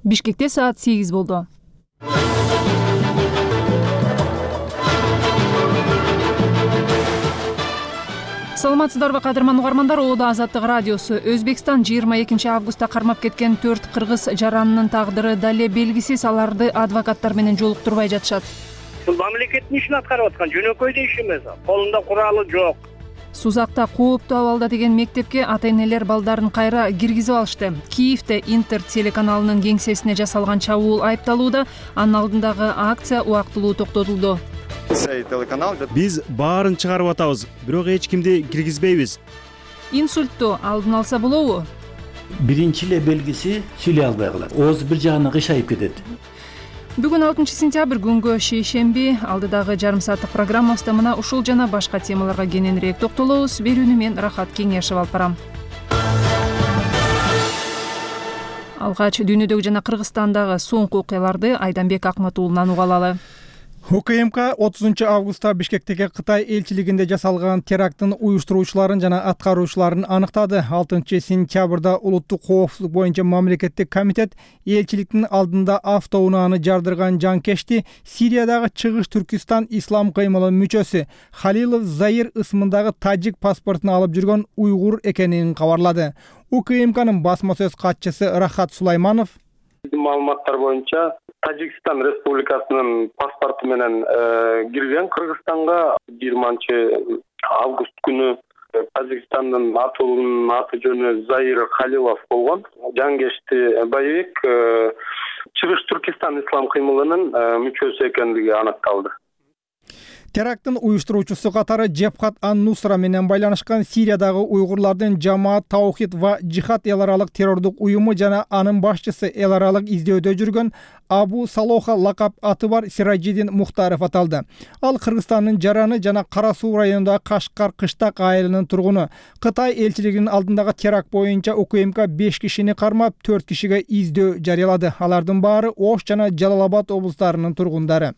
Бишкекте саат 8 болду. Саламатсыздарбы кадырман угармандар, Оодо Азаттык радиосу. Өзбекстан 22 августта кармап кеткен 4 кыргыз жаранынын тагдыры дале белгисиз. Аларды адвокаттар менен жолуктурбай жатышат. Бул мамлекеттин ишин аткарып аткан жөнөкөй иш эмес. Колунда куралы жок. Сузакта кооптуу абалда деген мектепке ата-энелер балдарын кайра киргизип алышты. Киевде Интер телеканалынын кеңсесине жасалган чабуул айыпталууда. Анын алдындагы акция убактылуу токтотулду. Биз баарын чыгарып атабыз, бирок эч кимди киргизбейбиз. Инсультту алдын алса болобу? Биринчи эле белгиси сүйлөй албай калат. Ооз бир жагына кыйшайып кетет. Бүгүн 6 сентябрь күнгө шейшемби. Алдыдагы жарым сааттык программабызда мына ушул жана башка темаларга кененирээк токтолобуз. Берүүнү мен Рахат Кеңешев алып барам. Алгач дүйнөдөгү жана Кыргызстандагы соңку окуяларды Айданбек Акматуулунан уга алалы. УКМК 30 августта Бишкектеги Кытай элчилигинде жасалган теракттын уюштуруучуларын жана аткаруучуларын аныктады. 6 сентябрда улуттук коопсуздук боюнча мамлекеттик комитет элчиликтин алдында автоунааны жардырган жанкечти Сириядагы Чыгыш Түркистан ислам кыймылынын мүчөсү Халилов Заир ысмындагы тажик паспортун алып жүргөн уйгур экенин кабарлады. УКМКнын басма сөз катчысы Рахат Сулайманов маалыматтар боюнча Тажикстан Республикасынын паспорту менен кирген Кыргызстанга 20 август күнү Тажикстандын атуулунун аты жөнү Заир Халилов болгон. Жангечти боевик Чыгыш Түркистан ислам кыймылынын мүчөсү экендиги аныкталды. Теракттын уюштуруучусу катары Джебхат ан-Нусра менен байланышкан Сириядагы уйгурлардын Жамаат Таухид ва Жихад эл аралык террордук уюму жана анын башчысы эл аралык издөөдө жүргөн Абу Салоха лакап аты бар Сираджидин Мухтаров аталды. Ал Кыргызстандын Жараны жана Кара Суу районундагы Кашкар Кыштак айылынын тургуну. Кытай элчилигинин алдындагы теракт боюнча УКМК 5 кишини кармап, 4 кишиге издөө жарыялады. Алардын баары Ош жана Жалал-Абад облустарынын тургундары.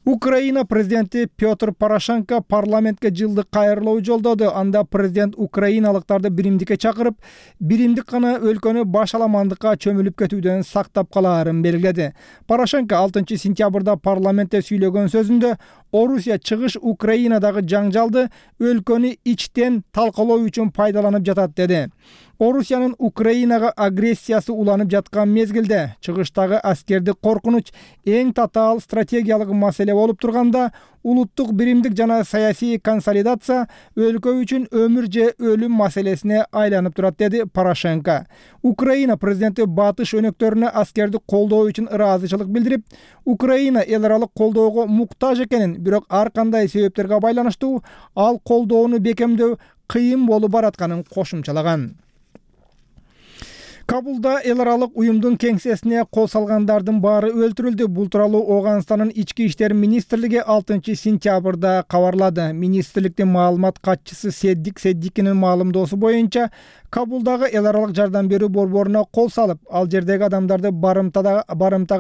Украина президенти Петр Порошенко парламентке жылдык кайрылуу жолдоду. Анда президент украиналыктарды биримдикке чакырып, биримдик гана өлкөнү башаламандыкка чөмүлүп кетүүдөн сактап калаарын белгиледи. Порошенко 6 сентябрда парламентте сүйлөгөн сөзүндө Орусия чыгыш Украинадагы жаңжалды өлкөнү ичтен талкалоо үчүн пайдаланып жатат деди. Орусиянын Украинага агрессиясы уланып жаткан мезгилде чыгыштагы аскердик коркунуч эң татаал стратегиялык маселе болуп турганда, улуттук биримдик жана саясий консолидация өлкө үчүн өмүр же өлүм маселесине айланып турат, деди Порошенко. Украина президенти батыш өнөктөрүнө аскерди колдоо үчүн ыраазычылык билдирип, Украина эл аралык колдоого муктаж экенин, бирок ар кандай себептерге байланыштуу ал колдоону бекемдөө кыйын болуп баратканын кошумчалаган. Кабулда эл аралык уюмдун кеңсесине кол салгандардын баары өлтүрүлдү. Бул тууралуу Оганстанын ички иштер министрлиги 6 сентябрда кабарлады. Министрликтин маалымат катчысы Седдик Седдикинин маалымдоосу боюнча, Кабулдагы эл аралык жардам берүү борборуна кол салып, ал жердеги адамдарды барымтага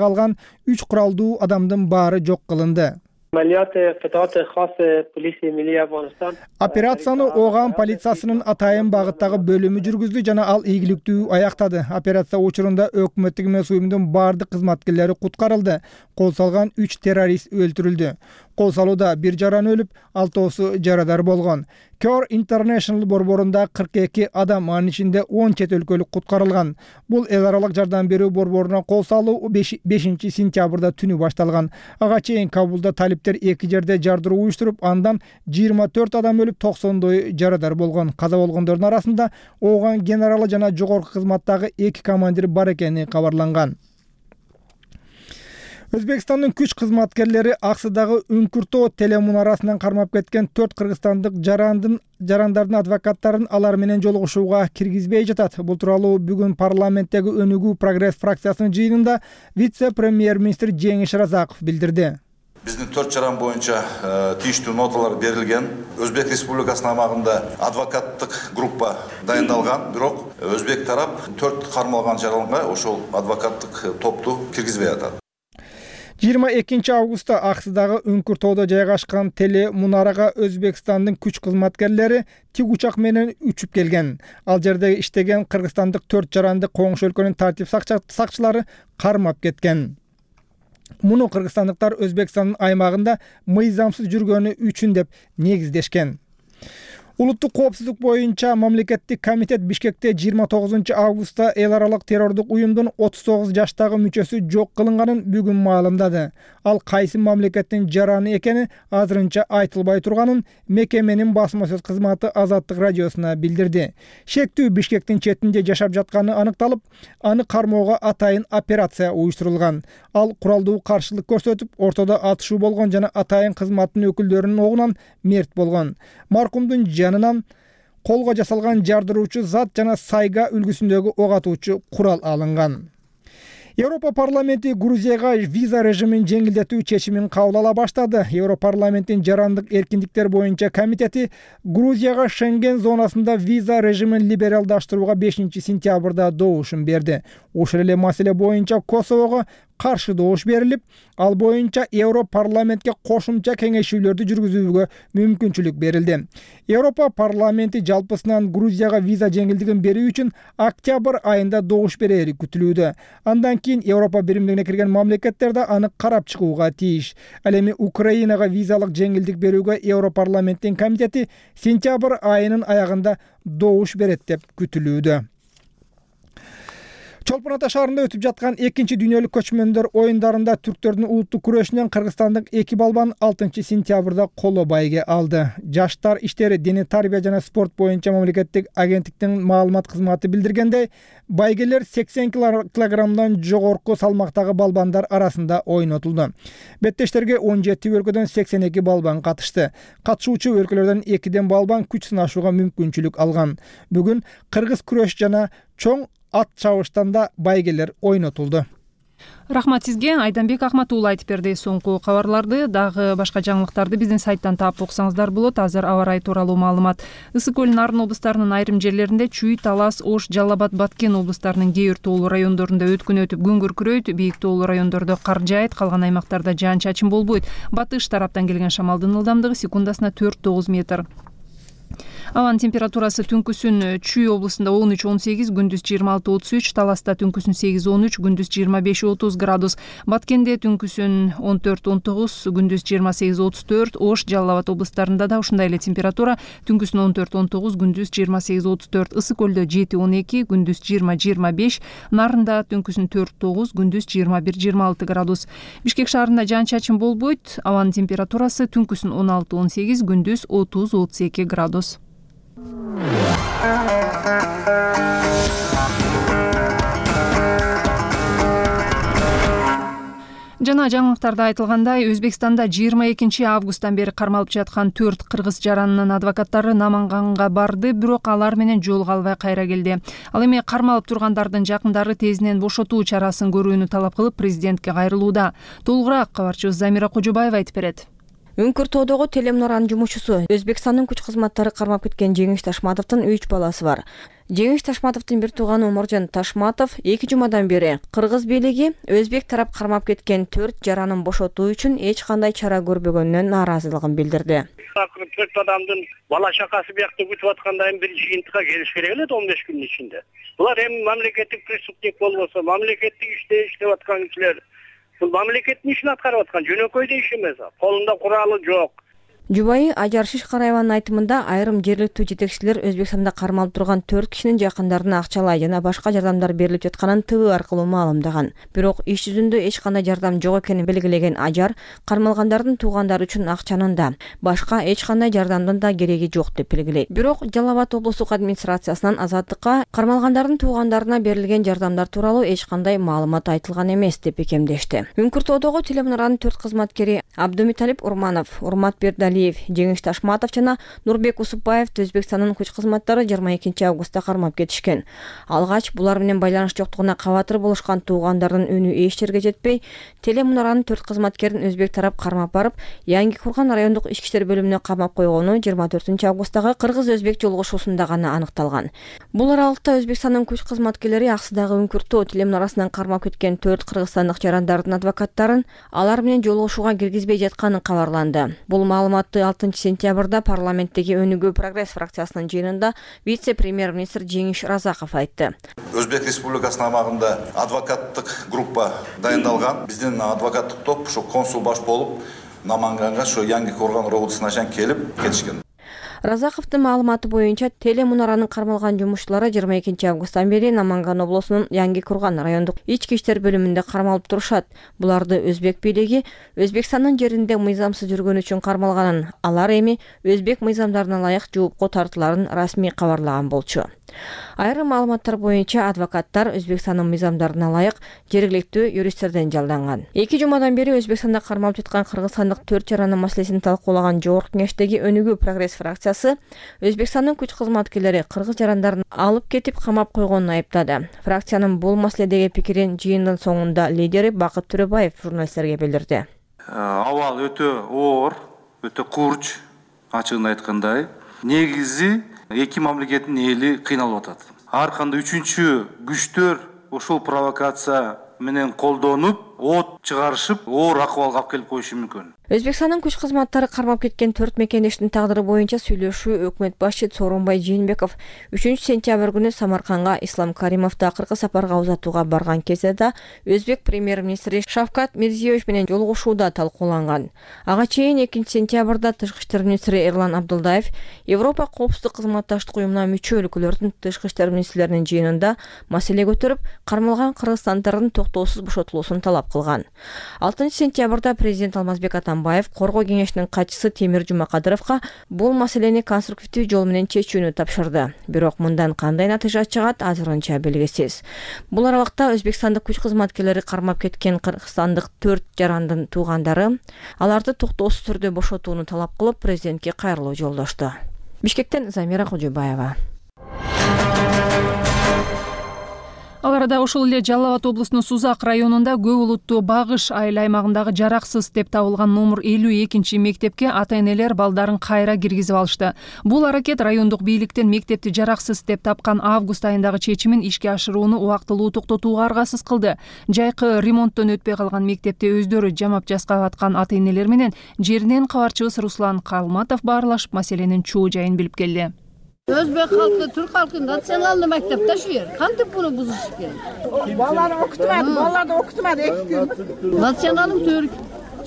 алган 3 куралдуу адамдын баары жок кылынды. Операцияны Оган полициясынын атайын багыттагы бөлүмү жүргүздү жана ал ийгиликтүү аяктады. Операция учурунда өкмөттүк эмес уюмдун бардык кызматкерлери куткарылды. Кол салган 3 террорист өлтүрүлдү. Кол салууда 1 жаран өлүп, 6 жарадар болгон. Cure International борборунда 42 адам, анын ичинде 10 чет өлкөлүк куткарылган. Бул эл аралык жардам берүү борборуна кол салуу 5 сентябрда түнү башталган. Ага чейин Кабулда талиптер 2 жерде жардыруу уюштуруп, андан 24 адам өлүп, 90 жарадар болгон. Каза болгондордун арасында Оган генералы жана жогорку кызматтагы 2 командир бар экени кабарланган. Өзбекстандын күч кызматкерлери Аксыдагы Үңкүртөө телемунарасынан кармап кеткен 4 кыргызстандык жарандардын адвокаттарын алар менен жолугушууга киргизбей жатат. Бул тууралуу бүгүн парламенттеги Өнүгүү Прогресс фракциясынын жыйынында вице-премьер-министр Жеңиш Разаков билдирди. Биздин 4 жаран боюнча тийиштүү ноталар берилген. Өзбек Республикасынын аймагында адвокаттык группа дайындалган, бирок өзбек тарап 4 кармалган жаранга ошол адвокаттык топту киргизбей атат. 22 августта Аксыдагы Үңкүр тоодо жайгашкан теле мунарага Өзбекстандын күч кызматкерлери тик учак менен учуп келген. Ал жерде иштеген кыргызстандык 4 жаранды коңшу өлкөнүн тартип сакчылары кармап кеткен. Муну кыргызстандыктар Өзбекстандын аймагында мыйзамсыз жүргөнү үчүн деп негиздешкен. Улуттук коопсуздук боюнча мамлекеттик комитет Бишкекте 29 августта эл аралык террордук уюмдун 39 жаштагы мүчөсү жок кылынганын бүгүн маалымдады. Ал кайсы мамлекеттин жараны экени азырынча айтылбай турганын мекеменин басма сөз кызматы Азаттык радиосуна билдирди. Шектүү Бишкектин четинде жашап жатканы аныкталып, аны кармоого атайын операция уюштурулган. Ал куралдуу каршылык көрсөтүп, ортодо атышуу болгон жана атайын кызматтын өкүлдөрүнүн огунан мерт болгон. Маркумдун жанынан колго жасалган жардыруучу зат жана сайга үлгүсүндөгү ок атуучу курал алынган. Европа парламенти Грузияга виза режимин жеңилдетүү чечимин кабыл ала баштады. Европарламенттин жарандык эркиндиктер боюнча комитети Грузияга Шенген зонасында виза режимин либералдаштырууга 5 сентябрда добушун берди. Ошол эле маселе боюнча Косового каршы добуш берилип, ал боюнча Европарламентке кошумча кеңешүүлөрдү жүргүзүүгө мүмкүнчүлүк берилди. Европа парламенти жалпысынан Грузияга виза жеңилдигин берүү үчүн октябрь айында добуш берери күтүлүүдө. Андан кийин Европа биримдигине кирген мамлекеттер да аны карап чыгууга тийиш. Ал эми Украинага визалык жеңилдик берүүгө Европарламенттин комитети сентябрь айынын аягында добуш берет деп күтүлүүдө. Чолпон Ата шаарында өтүп жаткан 2 дүйнөлүк көчмөндөр оюндарында түрктөрдүн улуттук күрөшүнөн кыргызстандык 2 балбан 6 сентябрда коло байге алды. Жаштар иштери дене тарбия жана спорт боюнча мамлекеттик агенттиктин маалымат кызматы билдиргендей, байгелер 80 килограммдан жогорку салмактагы балбандар арасында ойнотулду. Беттештерге 17 өлкөдөн 82 балбан катышты. Катышуучу өлкөлөрдөн 2 балбан күч сынашууга мүмкүнчүлүк алган. Бүгүн кыргыз күрөш жана чоң ат чабыштан да байгелер ойнотулду. Рахмат сизге, Айданбек Ахматуулы айтып берди. Соңку кабарларды дагы башка жаңылыктарды биздин сайттан таап окусаңыздар болот. Азыр аба ырайы тууралуу маалымат. Ысык көл Нарын облустарынын айрым жерлеринде Чүй, Талас, Ош, Жалал Абад, Баткен облустарынын кээ бир тоолуу райондорунда өткүн өтүп күн күркүрөйт. Бийик тоолуу райондордо кар жаайт, калган аймактарда жаан-чачын болбойт. Батыш тараптан келген шамалдын ылдамдыгы секундасына 4-9 метр. Абанын температурасы түнкүсүн Чүй облусунда 13-18, күндүз 26-33, Таласта түнкүсүн 8-13, күндүз 25-30 градус, Баткенде түнкүсүн 14-19, күндүз 28-34, Ош, Жалал Абад облустарында да ушундай эле температура, түнкүсүн 14-19, күндүз 28-34, Ысык көлдө 7-12, күндүз 20-25, Нарында түнкүсүн 4-9, күндүз 21-26 градус. Бишкек шаарында жаан-чачын болбойт, абанын температурасы түнкүсүн 16-18, күндүз 30-32 градус. Жана жаңылыктарда айтылгандай, Өзбекстанда 22 августтан бери кармалып жаткан 4 кыргыз жаранынын адвокаттары Наманганга барды, бирок алар менен жолуга албай кайра келди. Ал эми кармалып тургандардын жакындары тезинен бошотуу чарасын көрүүнү талап кылып президентке кайрылууда. Толугураак кабарчыбыз Замира Кожобаева айтып берет. Үңкүр тоодогу телемунаранын жумушчусу Өзбекстандын күч кызматтары кармап кеткен Жеңиш Ташматовдун 3 баласы бар. Жеңиш Ташматовдун бир тууганы Оморжон Ташматов 2 жумадан бери кыргыз бийлиги өзбек тарап кармап кеткен 4 жаранын бошотуу үчүн эч кандай чара көрбөгөнүнөн нааразылыгын билдирди. 4 адамдын бала чакасы биякта күтүп атканда бир жыйынтыкка келиш керек эле 15 күндүн ичинде. Булар эми мамлекеттик преступник болбосо, мамлекеттик иште иштеп аткан кишилер. Бул мамлекеттин ишин аткарып аткан жөнөкөй иш эмес. Колунда куралы жок. Жубайы Ажар Шишкараеванын айтымында айрым жергиликтүү жетекчилер Өзбекстанда кармалып турган 4 кишинин жакындарына акчалай жана башка жардамдар берилип жатканын ТВ аркылуу маалымдаган. Бирок иш жүзүндө эч кандай жардам жок экенин белгилеген Ажар кармалгандардын туугандары үчүн акчанын да, башка эч кандай жардамдын да кереги жок деп белгилейт. Бирок Жалал Абад облустук администрациясынан Азаттыкка кармалгандардын туугандарына берилген жардамдар тууралуу эч кандай маалымат айтылган эмес деп бекемдешти. Үңкүр тоодогу телемунаранын 4 кызматкери Абдумиталип Урманов, Урмат Бердали Алиев, Жеңиш Ташматов жана Нурбек Усупбаевди Өзбекстандын күч кызматтары 22 августта кармап кетишкен. Алгач булар менен байланыш жоктугуна кабатыр болушкан туугандардын үнү эч жерге жетпей, телемунаранын 4 кызматкерин өзбек тарап кармап барып, Yangi Kurgan райондук ички иштер бөлүмүнө камап койгону 24 августтагы кыргыз-өзбек жолугушуусунда гана аныкталган. Бул аралыкта Өзбекстандын күч кызматкерлери аксыдагы үңкүртүү телемунарасынан кармап кеткен 4 кыргызстандык жарандардын адвокаттарын алар менен жолугушууга киргизбей жатканын кабарланды. Бул маалыматты 6 сентябрда парламенттеги Өнүгүү прогресс фракциясынын жыйынында вице-премьер-министр Жеңиш Разаков айтты. Өзбек Республикасынын аймагында адвокаттык группа дайындалган. Биздин адвокаттык топ ушу консул баш болуп Наманганга ошо Yangi Kurgan роодусуна келип кетишкен. Разаковдун маалыматы боюнча телемунаранын кармалган жумушчулары 22 августтан бери Наманган облусунун Yangi Kurgan райондук ички иштер бөлүмүндө кармалып турушат. Буларды өзбек бийлиги Өзбекстандын жеринде мыйзамсыз жүргөн үчүн кармалганын, алар эми өзбек мыйзамдарына ылайык жоопко тартыларын расмий кабарлаган болчу. Айрым маалыматтар боюнча адвокаттар Өзбекстандын мыйзамдарына ылайык жергиликтүү юристтерден жалданган. 2 жумадан бери Өзбекстанда кармалып жаткан кыргызстандык 4 жаранын маселесин талкуулаган Жогорку Кеңештеги Өнүгүү прогресс фракциясы Өзбекстандын күч кызматкерлери кыргыз жарандарын алып кетип камап койгонун айыптады. Фракциянын бул маселедеги пикирин жыйындын соңунда лидери Бакыт Төрөбаев журналисттерге билдирди. Абал өтө оор, өтө курч, ачыгын айткандай. Негизи эки мамлекеттин эли кыйналып атат. Ар кандай үчүнчү күчтөр ошол провокация менен колдонуп, от чыгарышып, оор акыбалга алып келип коюшу мүмкүн. Өзбекстандын күч кызматтары кармап кеткен 4 мекендештин тагдыры боюнча сүйлөшүү өкмөт башчы Сооронбай Жээнбеков 3 сентябрь күнү Самарканга Ислам Каримовду акыркы сапарга узатууга барган кезде да өзбек премьер-министри Шавкат Мирзиёевич менен жолугушууда талкууланган. Ага чейин 2 сентябрда тышкы иштер министри Эрлан Абдулдаев Европа коопсуздук кызматташтык уюмуна мүчө өлкөлөрдүн тышкы иштер министрлеринин жыйынында маселе көтөрүп, кармалган кыргызстандыктардын токтоосуз бошотулуусун талап кылган. 6 сентябрда президент Алмазбек Атамбаев Коргоо кеңешинин катчысы Темир Жумакадыровго бул маселени конструктивдүү жол менен чечүүнү тапшырды. Бирок мындан кандай натыйжа чыгат азырынча белгисиз. Бул аралыкта Өзбекстандык күч кызматкерлери кармап кеткен кыргызстандык 4 жарандын туугандары аларды токтоосуз түрдө бошотууну талап кылып президентке кайрылуу жолдошту. Бишкектен Замира Кожобаева. Ал арада ошол эле Жалал Абад облусунун Сузак районунда көп улуттуу Багыш айыл аймагындагы жараксыз деп табылган номер 52 мектепке ата-энелер балдарын кайра киргизип алышты. Бул аракет райондук бийликтен мектепти жараксыз деп тапкан август айындагы чечимин ишке ашырууну убактылуу токтотууга аргасыз кылды. Жайкы ремонттон өтпөй калган мектепти өздөрү жамап жаскап аткан ата-энелер менен жеринен кабарчыбыз Руслан Калматов баарлашып маселенин чоо жайын билип келди. Өзбек халкы, түрк халкы националдык мектепте шу жер. Кантип буну бузуш керек? Балаларды окутмады 2 күн. Националдык түрк.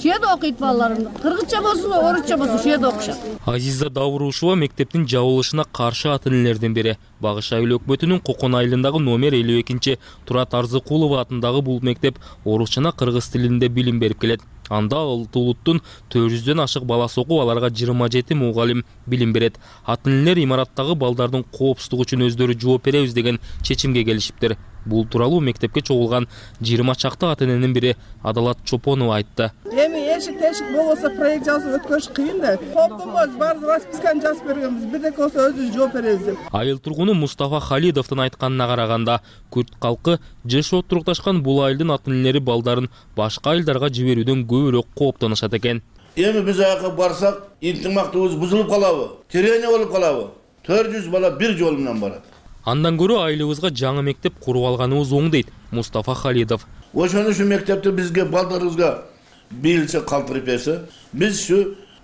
Шеде окуйт балаларым. Кыргызча болсун, орусча болсун, шеде окушат. Азиза Даурушева мектептин жабылышына каршы ата-энелерден бири. Багыш айыл өкмөтүнүн Кокон айылындагы номер 52 Турат Арзыкулова атындагы бул мектеп орус жана кыргыз тилинде билим берип келет. Анда алты улуттун 400дөн ашык баласы окуп, аларга 27 мугалим билим берет. Ата-энелер имараттагы балдардын коопсуздугу үчүн өздөрү жооп беребиз деген чечимге келишиптир. Бул тууралуу мектепке чогулган 20 чакты ата-эненин бири Адалат Чопонова айтты. Эми эшик-тешик болбосо проект жазып өткөрүш кыйын да. Коптомбоз бар расписканы жазып бергенбиз. Бирдеке болсо өзүбүз жооп беребиз деп. Айыл тургуну Мустафа Халидовдун айтканына караганда, күрт калкы жыш отурукташкан бул айылдын ата-энелери балдарын башка айылдарга жиберүүдөн көбүрөөк кооптонушат экен. Эми биз аяка барсак, интимактыбыз бузулуп калабы? Терени болуп калабы? 400 бала бир жол менен барат. Андан көрө айылыбызга жаңы мектеп куруп алганыбыз оң дейт Мустафа Халидов. Ошону ушу мектепти бизге балдарыбызга бийилче калтырып берсе,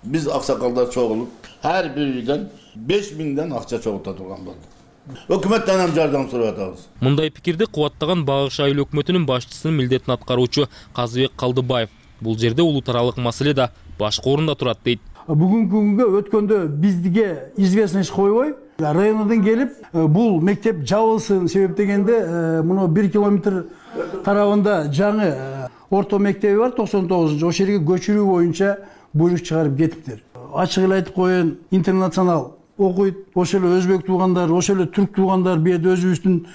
биз аксакалдар чогулуп, ар бир үйдөн 5000ден акча чогулта турган болду. Өкмөттөн ham жардам сурап атабыз. Мындай пикирди кубаттаган Багыш айыл өкмөтүнүн башчысынын милдетин аткаруучу Казыбек Калдыбаев. Бул жерде улут аралык маселе да башка орунда турат дейт. Бүгүнкү күнгө өткөндө бизге известность койбой, райондон келип, бул мектеп жабылсын себептегенде, муну 1 километр тарабында жаңы орто мектеби бар, 99-ошол жерге көчүрүү боюнча буйрук чыгарып кетиптир. Ачык эле айтып коеюн, интернационал окуйт, ошол эле өзбек туугандар, ошол эле түрк туугандар, бу жерде өзүбүздүн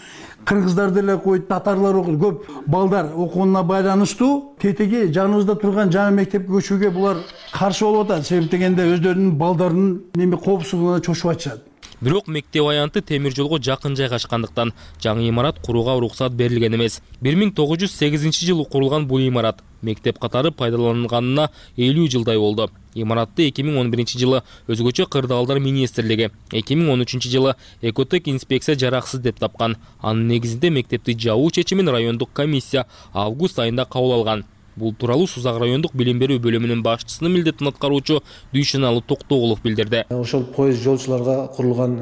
кыргыздар деле окуйт, татарлар окуйт. Көп балдар окуунуна байланыштуу тетиги жаныбызда турган жаңы мектепке көчүүгө булар каршы болуп атат. Себеп дегенде өздөрүнүн балдарынын коопсуздугуна чочуп атышат. Бирок мектеп аянты темир жолго жакын жайгашкандыктан жаңы имарат курууга уруксат берилген эмес. 1908-жылы курулган бул имарат мектеп катары пайдаланылганына 50 жылдай болду. Имаратты 2011-жылы өзгөчө кырдаалдар министрлиги, 2013-жылы экотек инспекция жараксыз деп тапкан. Анын негизинде мектепти жабуу чечимин райондук комиссия август айында кабыл алган. Бул тууралуу Сузак райондук билим берүү бөлүмүнүн башчысынын милдетин аткаруучу Дүйшөналы Токтогулов билдирди. Ошол поезд жолчуларга курулган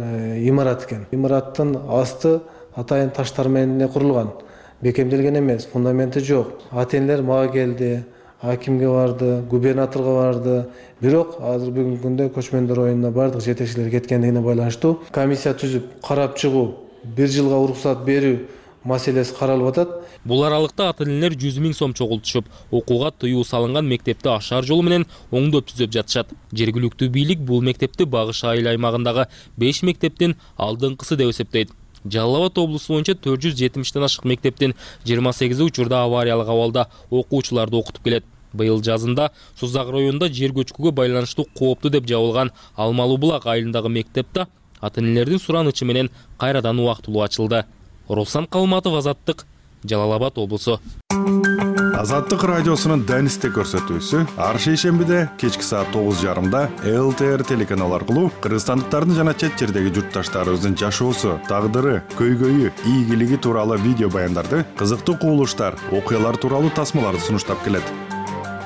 имарат экен. Имараттын асты атайын таштар менен курулган. Бекемделген эмес, фундаменти жок. Ата-энелер мага келди, акимге барды, губернаторго барды. Бирок азыр бүгүнкү күндө көчмөндөр оюнуна бардык жетекчилер кеткендигине байланыштуу комиссия түзүп карап чыгуу, 1 жылга уруксат берүү маселеси каралып атат. Бул аралыкта ата-энелер 100 000 сом чогултушуп, окууга тыюу салынган мектепти ашар жолу менен оңдоп түзөп жатышат. Жергиликтүү бийлик бул мектепти Багыш айыл аймагындагы 5 мектептин алдыңкысы деп эсептейт. Жалал Абад облусу боюнча 470тен ашык мектептин 28 учурда авариялык абалда окуучуларды окутуп келет. Быйыл жазында Сузак районунда жер көчкүгө байланыштуу кооптуу деп жабылган Алмалуу Булак айылындагы мектепте ата-энелердин суранычы менен кайрадан убактылуу ачылды. Руслан Калматов, Азаттык, Жалал Абад облусу. Азаттык радиосунун Данисте көрсөтүүсү ар шейшембиде кечки саат 9:30 ЛТР телеканалы аркылуу кыргызстандыктардын жана чет жердеги журтташтарыбыздын жашоосу, тагдыры, көйгөйү, ийгилиги тууралуу видео баяндарды, кызыктуу кубулуштар, окуялар тууралуу тасмаларды сунуштап келет.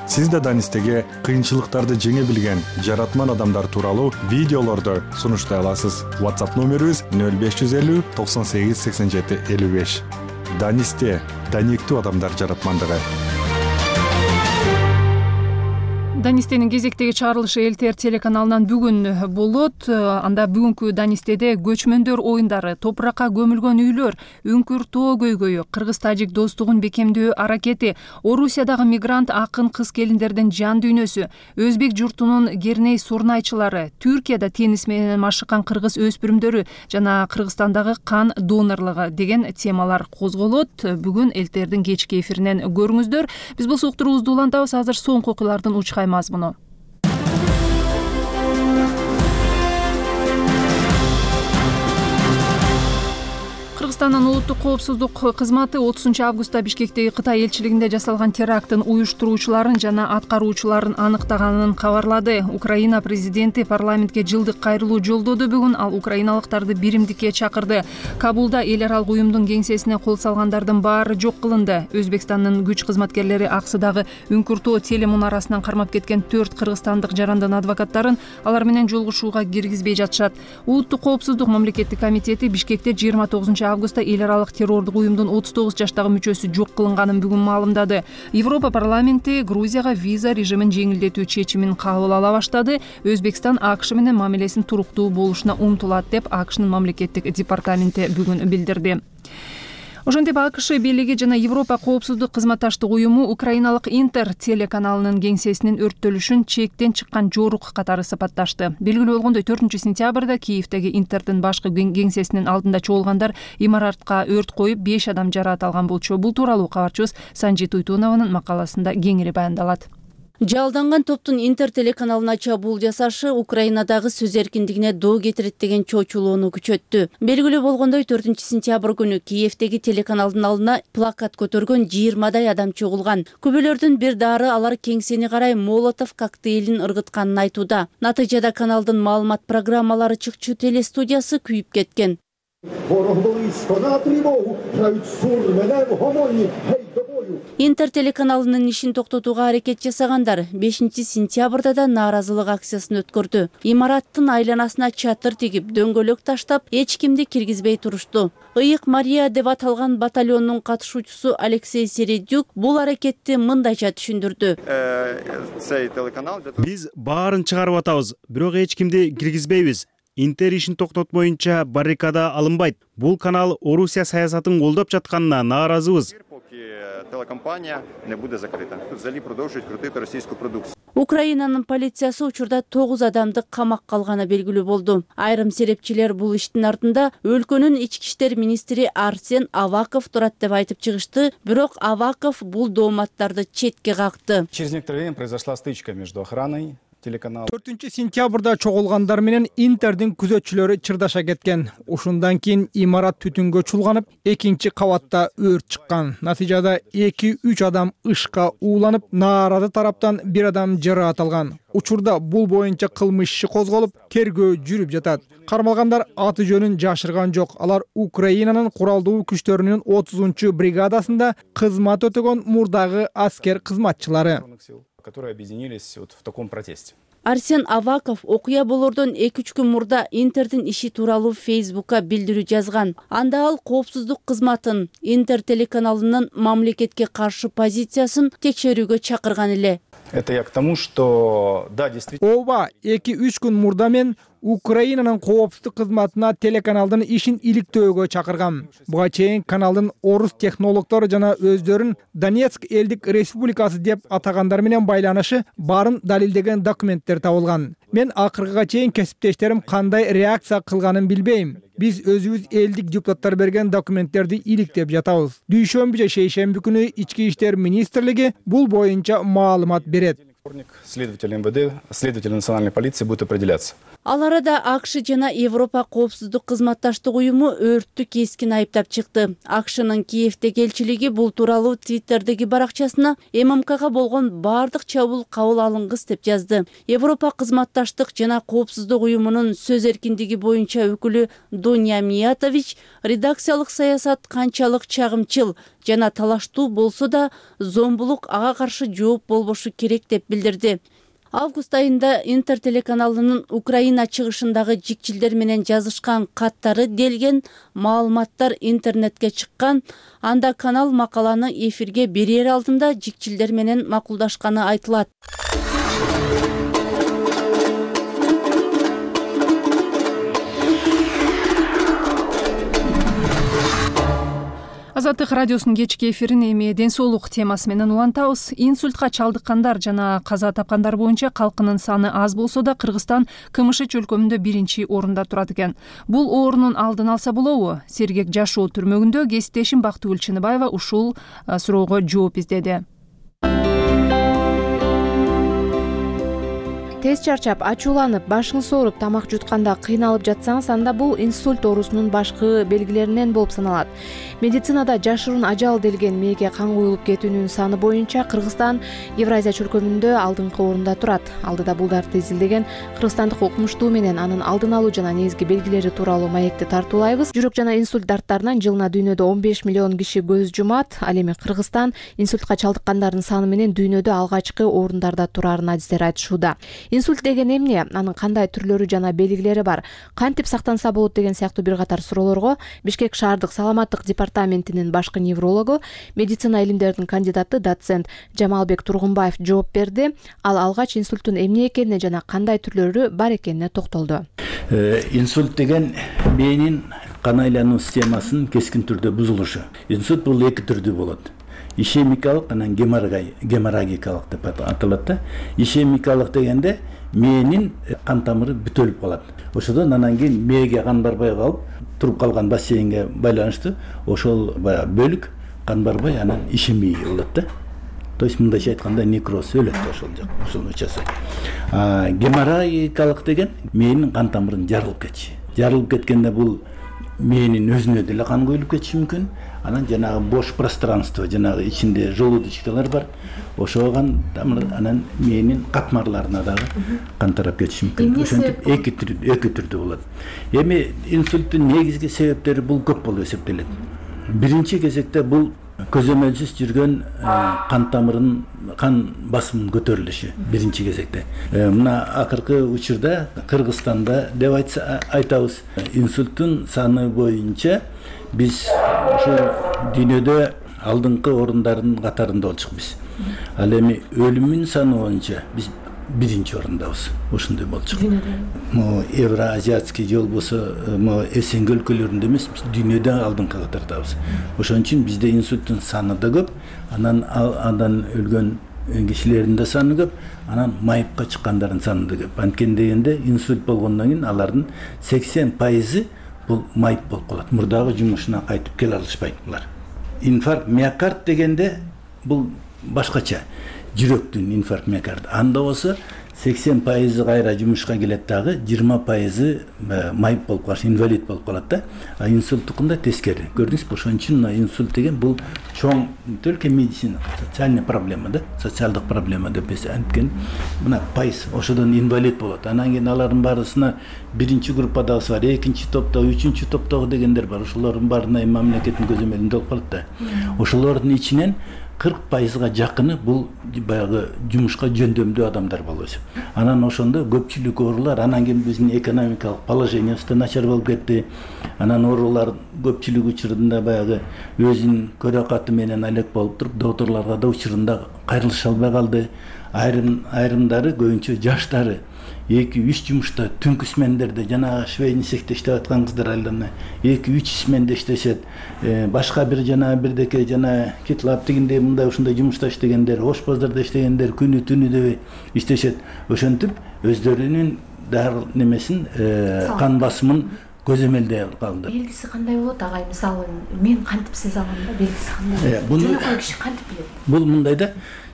Сиз да Данистеге кыйынчылыктарды жеңе билген жаратман адамдар тууралуу видеолорду сунуштай аласыз. WhatsApp номерибиз 0550 98 87 55. Данисте, даниктүү адамдар жаратмандыгы. Данистенин кезектеги чыгарылышы ЛТР телеканалынан бүгүн болот. Анда бүгүнкү Данистеде көчмөндөр оюндары, топуракка көмүлгөн үйлөр, үңкүр тоо көйгөйү, кыргыз-тажик достугун бекемдөө аракети, Орусиядагы мигрант акын кыз-келиндердин жан дүйнөсү, өзбек журтунун керней сурнайчылары, Түркияда теннис менен машыккан кыргыз өспүрүмдөрү жана Кыргызстандагы кан донорлугу деген темалар козголот. Бүгүн ЛТРдин кечки эфиринен көрүңүздөр. Биз бул суктуруубузду улантабыз. Азыр соңку окуялардын учкай мазмуну. Кыргызстандын улуттук коопсуздук кызматы 30 августта Бишкектеги Кытай элчилигинде жасалган теракттын уюштуруучуларын жана аткаруучуларын аныктаганын кабарлады. Украина президенти парламентке жылдык кайрылуу жолдоду. Бүгүн ал украиналыктарды биримдикке чакырды. Кабулда эл аралык уюмдун кеңсесине кол салгандардын баары жок кылынды. Өзбекстандын күч кызматкерлери Аксыдагы Үңкүртөө телемунарасынан кармап кеткен 4 кыргызстандык жарандын адвокаттарын алар менен жолугушууга киргизбей жатышат. Улуттук коопсуздук мамлекеттик комитети Бишкекте 29 августта эл аралык террордук уюмдун 39 жаштагы мүчөсү жок кылынганын бүгүн маалымдады. Европа парламенти Грузияга виза режимин жеңилдетүү чечимин кабыл ала баштады. Өзбекстан АКШ менен мамилесин туруктуу болушуна умтулат деп АКШнын мамлекеттик департаменти бүгүн билдирди. Ошентип АКШ бийлиги жана Европа коопсуздук кызматташтык уюму украиналык Интер телеканалынын кеңсесинин өрттөлүшүн чектен чыккан жорук катары сапатташты. Белгилүү болгондой 4-сентябрда Киевдеги Интердин башкы кеңсесинин алдында чогулгандар имаратка өрт коюп 5 адам жараат алган болчу. Бул тууралуу кабарчыбыз Санжит Уйтунованын макаласында кеңири баяндалат. Жалданган топтун Интер телеканалына чабуул жасашы Украинадагы сөз эркиндигине доо кетирет деген чоочулоону күчөттү. Белгилүү болгондой 4-сентябрь күнү Киевдеги телеканалдын алдына плакат көтөргөн 20дай адам чогулган. Күбөлөрдүн бир дары алар кеңсени карай Молотов коктейлин ыргытканын айтууда. Натыйжада каналдын маалымат программалары чыкчу телестудиясы күйүп кеткен. Интер телеканалынын ишин токтотууга аракет жасагандар 5-сентябрда да нааразылык акциясын өткөрдү. Имараттын айланасына чатыр тигип, дөңгөлөк таштап, эч кимди киргизбей турушту. Ыйык Мария деп аталган батальондун катышуучусу Алексей Середюк бул аракетти мындайча түшүндүрдү. Биз баарын чыгарып атабыз, бирок эч кимди киргизбейбиз. Интер ишин токтотмоюнча баррикада алынбайт. Бул канал Орусия саясатын колдоп жатканына нааразыбыз. Телекомпания не буде закрита. Тут взагалі продовжують крутити російську продукцію. Украинанын полициясы учурда 9 адамды камакка алганы белгилүү болду. Айрым серепчилер бул иштин артында өлкөнүн ички иштер министри Арсен Аваков турат деп айтып чыгышты, бирок Аваков бул дооматтарды четке какты. Через некоторое время произошла стычка между охраной телеканал. 4-сентябрда чогулгандар менен Интердин күзөтчүлөрү чырдаша кеткен. Ушундан кийин имарат түтүнгө чулганып, экинчи кабатта өрт чыккан. Натыйжада 2-3 адам ышка ууланып, нааразы тараптан бир адам жараат алган. Учурда бул боюнча кылмыш иши козголуп, тергөө жүрүп жатат. Кармалгандар аты жөнүн жашырган жок. Алар Украинанын куралдуу күчтөрүнүн 30-чу бригадасында кызмат өтөгөн мурдагы аскер кызматчылары, которые объединились в таком протесте. Арсен Аваков окуя болордон 2-3 күн мурда Интердин иши тууралуу Фейсбукка билдирүү жазган. Анда ал коопсуздук кызматын, Интер телеканалынын мамлекетке каршы позициясын текшерүүгө чакырган эле. Это я к тому, что да, действительно. Ооба, 2-3 күн мурда мен Украинанын коопсуздук кызматына телеканалдын ишин иликтөөгө чакыргам. Буга чейин каналдын орус технологдору жана өздөрүн Донецк элдик республикасы деп атагандар менен байланышы барын далилдеген документтер табылган. Мен акыркыга чейин кесиптештерим кандай реакция кылганын билбейм. Биз өзүбүз элдик депутаттар берген документтерди иликтеп жатабыз. Дүйшөмбү же шейшемби күнү ички иштер министрлиги бул боюнча маалымат берет. Следователь МВД, следователь национальной полиции будет определяться. Ал арада АКШ жана Европа коопсуздук кызматташтык уюму өрттү кескин айыптап чыкты. АКШнын Киевдеги элчилиги бул тууралуу Твиттердеги баракчасына ММКга болгон бардык чабуул кабыл алынгыс деп жазды. Европа кызматташтык жана коопсуздук уюмунун сөз эркиндиги боюнча өкүлү Дуня Миятович редакциялык саясат канчалык чагымчыл жана талаштуу болсо да зомбулук ага каршы жооп болбошу керек деп билдирди. Август айында Интер телеканалынын Украина чыгышындагы жикчилдер менен жазышкан каттары делген маалыматтар интернетке чыккан. Анда канал макаланы эфирге берер алдында жикчилдер менен макулдашканы айтылат. Азаттык радиосунун кечки эфирин эми ден соолук темасы менен улантабыз. Инсультка чалдыккандар жана каза тапкандар боюнча калкынын саны аз болсо да Кыргызстан КМШ чөлкөмүндө 1-чи орунда турат экен. Бул оорунун алдын алса болобу? Сергек жашоо түрмөгүндө кесиптешим Бактыгүл Чыныбаева ушул суроого жооп издеди. Тез чарчап, ачууланып, башыңыз ооруп, тамак жутканда кыйналып жатсаңыз, анда бул инсульт оорусунун башкы белгилеринен болуп саналат. Медицинада жашыруун ажал делген мээге кан куюлуп кетүүнүн саны боюнча Кыргызстан Евразия чөлкөмүндө алдыңкы орунда турат. Алдыда булдарды изилдеген кыргызстандык окумуштуу менен анын алдын алуу жана негизги белгилери тууралуу маекти тартуулайбыз. Жүрөк жана инсульт дарттарынан жылына дүйнөдө 15 миллион киши көз жумат. Ал эми Кыргызстан инсультка чалдыккандардын саны менен дүйнөдө алгачкы орундарда турарын адистер айтышууда. Инсульт деген эмне? Анын кандай түрлөрү жана белгилери бар? Кантип сактанса болот деген сыяктуу бир катар суроолорго Бишкек шаардык саламаттык департаментинин башкы неврологу, медицина илимдеринин кандидаты доцент Жамалбек Тургунбаев жооп берди. Ал алгач инсульттун эмне экенине жана кандай түрлөрү бар экенине токтолду. Инсульт деген мээнин кан айлануу системасынын кескин түрдө бузулушу. Инсульт бул эки түрдүү болот. Ишемикалык анан геморрагикалык деп аталат да. Ишемикалык дегенде мээнин кан тамыры бүтөлүп калат. Ошодон анан кийин мээге кан барбай калып, туруп калган бассейнге байланыштуу ошол бөлүк кан барбай анан ишемия болот да. То есть мындайча айтканда некроз өлөт ошол жак, ошол учасы. Геморрагикалык деген мээнин кан тамырын жарылып кетиши. Жарылып кеткенде бул мээнин өзүнө деле кан куюлуп кетиши мүмкүн. Анан жанагы бош пространство, жанагы ичинде желудочкалар бар. Ошого кан тамыр анан мээнин катмарларына дагы кан тарап кетиши мүмкүн. Ошентип эки түрдүү болот. Эми инсульттун негизги себептери бул көп болуп эсептелет. Биринчи кезекте бул көзөмөлсүз жүргөн кан тамырынын кан басымынын көтөрүлүшү биринчи кезекте. Мына акыркы учурда Кыргызстанда деп айтабыз, инсульттун саны боюнча биз ушул дүйнөдө алдыңкы орундардын катарында болчукпуз. Ал эми өлүмүн саны боюнча биз биринчи орундабыз. Ошондой болчук. Могу Евроазиатский жол болсо, могу СНГ өлкөлөрүндө эмес, биз дүйнөдө алдыңкы катардабыз. Ошон үчүн бизде инсульттун саны да көп, андан өлгөн кишилердин да саны көп, анан майыпка чыккандардын саны да көп. Анткени дегенде инсульт болгондон кийин алардын 80% бул майып болуп калат. Мурдагы жумушуна кайтып келе алышпайт булар. Инфаркт миокард дегенде бул башкача. Жүрөктүн инфаркт миокард. Анда болсо 80% кайра жумушка келет дагы, 20% майып болуп калат, инвалид болуп калат да. А инсульттукунда тескери. Көрдүңүзбү? Ошон үчүн инсульт деген бул чоң только медицина, социальный проблема да, социалдык проблема деп анткени мына пайыз ошодон инвалид болот. Анан кийин алардын баарысына биринчи группадагысы бар, экинчи топтогу, үчүнчү топтогу дегендер бар. Ошолордун баарына мамлекеттин көзөмөлүндө болуп калат да. Ошолордун ичинен 40%га жакыны бул баягы жумушка жөндөмдүү адамдар болуп эсеп. Анан ошондо көпчүлүк оорулар, анан кийин биздин экономикалык положениябыз да начар болуп кетти. Анан оорулар көпчүлүк учурунда баягы өзүнүн көрөкаты менен алек болуп туруп, докторлорго да учурунда кайрылыша албай калды. Айрымдары көбүнчө жаштары 2-3 жумушта түнкү смендерде жана швейный цехте иштеп аткан кыздар айлана 2-3 сменде иштешет. Башка бир жана бирдеке жана Китлап дегенде мындай ушундай жумушта иштегендер, ошпоздарда иштегендер күнү түнү дебей иштешет. Ошентип өздөрүнүн дары немесин кан басымын көзөмөлдөй калды. Белгиси кандай болот агай? Мисалы мен кантип сезе алам да, белгиси кандай? Жөнөкөй киши кантип билет? Бул мындай да,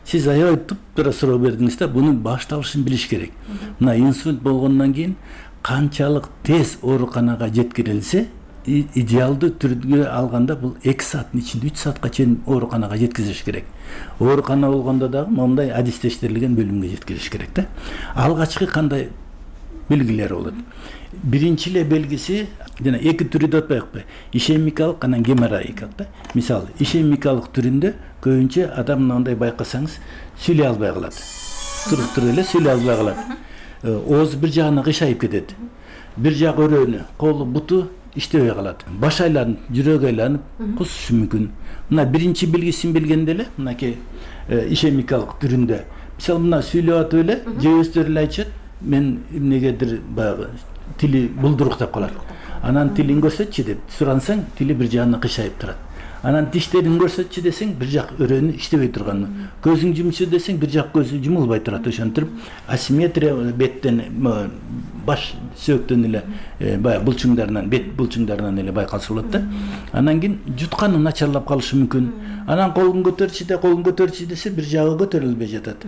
сиз аябай тура суроо бердиңиз да, бунун башталышын билиш керек. Мына инсульт болгондон кийин канчалык тез ооруканага жеткирилсе, идеалдуу түрдө алганда бул 2 сааттын ичинде 3 саатка чейин ооруканага жеткизиш керек. Оорукана болгондо дагы мондай адистештирилген бөлүмгө жеткизиш керек да. Алгачкы кандай белгилери болот? Биринчи эле белгиси жана 2 түрү деп атпайбы? Ишемикалык анан геморроикалык да. Мисалы, ишемикалык түрүндө көбүнчө адам мындай байкасаңыз сүйлөй албай калат. Туруп эле сүйлөй албай калат. Оозу бир жагына кыйшайып кетет. Бир жак өрөөнү, колу, буту иштебей калат. Баш айланып, жүрөгү айланып, кусушу мүмкүн. Мына биринчи белгисин билгенде эле, мынакей ишемикалык түрүндө. Мисалы мына сүйлөп атып эле, же өздөрү эле айтышат, мен эмнегедир баягы тили булдуруктап калат. Анан тилин көрсөтчү деп сурансаң, тили бир жагына кыйшайып турат. Анан тиштерин көрсөтчү десең, бир жак өрөөнү иштебей турган. Көзүң жумчу десең, бир жак көзү жумулбай турат. Ошентип асимметрия беттен, баш сөөктөн эле баягы булчуңдарынан, бет булчуңдарынан эле байкалса болот да. Анан кийин жутканы начарлап калышы мүмкүн. Анан колун көтөрчү десе, бир жагы көтөрүлбөй жатат.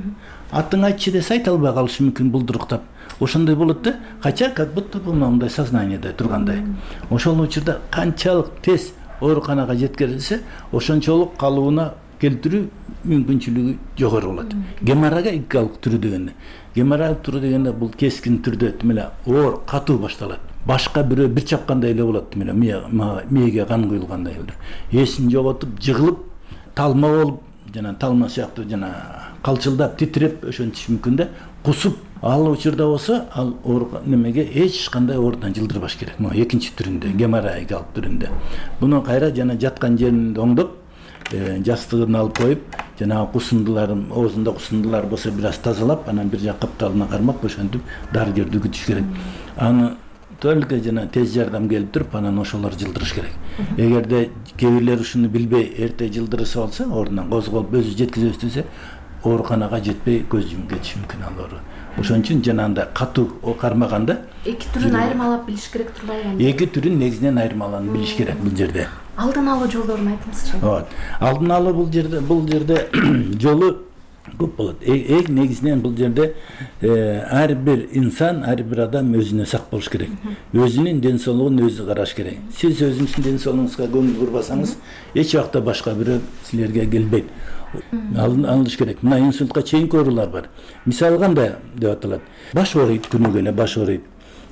Атын айтчы десе, айта албай калышы мүмкүн булдуруктап. Ошондой болот да. Кача как будто бул мындай сознаниеде тургандай. Ошол учурда канчалык тез ооруканага жеткирилсе, ошончолук калыбына келтирүү мүмкүнчүлүгү жогору болот. Геморрагикалык түрү дегенде. Геморрагик түрү дегенде бул кескин түрдө эле оор, катуу башталат. Башка бирөө бир чапкандай эле болот, эле мээге кан куюлгандай эле. Эсин жоготуп, жыгылып, талма болуп, жана талма сыяктуу жана калчылдап, титиреп ошентиш мүмкүн да. Кусуп, ал учурда болсо, ал немеге эч кандай оорудан жылдырбаш керек. Могу экинчи түрүндө, геморрагикалык түрүндө. Буну кайра жана жаткан жерин оңдоп, жастыгын алып коюп, жана кусундуларын, оозунда кусундулар болсо бир аз тазалап, анан бир жак капталына кармап, ошентип дарыгерди күтүш керек. Аны только жана тез жардам келип туруп, анан ошолор жылдырыш керек. Эгерде кээ бирлер ушуну билбей эрте жылдырып алса, ордунан козголуп өзү жеткизе өстүрсө, ооруканага жетпей көз жумуп кетиши мүмкүн ал оору. Ошон үчүн жанагындай катуу кармаганда 2 түрүн айырмалап билиш керек турбайбы? 2 түрүн негизинен айырмаланып билиш керек бул жерде. Алдын алуу жолдорун айтыңызчы. Алдын алуу бул жерде жолу көп болот. Эң негизинен бул жерде ар бир инсан, ар бир адам өзүнө сак болуш керек. Өзүнүн ден соолугун өзү караш керек. Сиз өзүңүздүн ден соолугуңузга көңүл бурбасаңыз, эч убакта башка бирөө силерге келбейт. Алыш керек. Мына инсультка чейинки оорулар бар. Мисалы кандай деп аталат? Баш ооруйт, күнүгө эле баш ооруйт.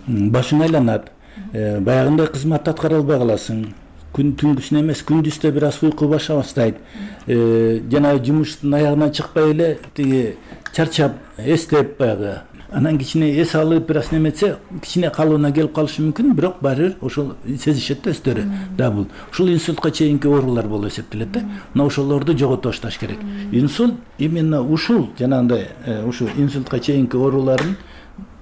Башың айланат. Баягындай кызматты аткара албай каласың. Түнгүсүн эмес, күндүздө бир аз уйку баша баштайт. Жана жумуштун аягынан чыкпай эле тиги чарчап, эстеп баягы. Анан кичине эс алып бир аз неметсе, кичине калыбына келип калышы мүмкүн, бирок баары бир ошол сезишет да өздөрү. Да бул. Ушул инсультка чейинки оорулар болуп эсептелет да. Мына ошолорду жогото башташ керек. Инсульт именно ушул жанагындай ушу инсультка чейинки оорулардын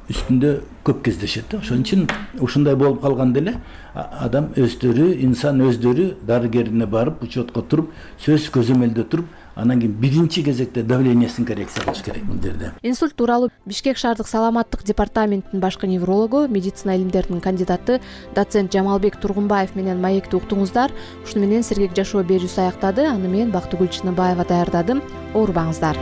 үстүндө көп кездешет да. Ошон үчүн ушундай болуп калганда эле адам өздөрү, инсан өздөрү дарыгерине барып, учетко туруп, сөз көзөмөлдө туруп, анан кийин биринчи кезекте давлениесин коррекция кылыш керек бул жерде. Инсульт тууралуу Бишкек шаардык саламаттык департаментинин башкы неврологу, медицина илимдеринин кандидаты доцент Жамалбек Тургунбаев менен маекти уктуңуздар. Ушуну менен Сергек жашоо берүүсү аяктады. Аны мен Бактыгүл Чыныбаева даярдадым. Оорубаңыздар.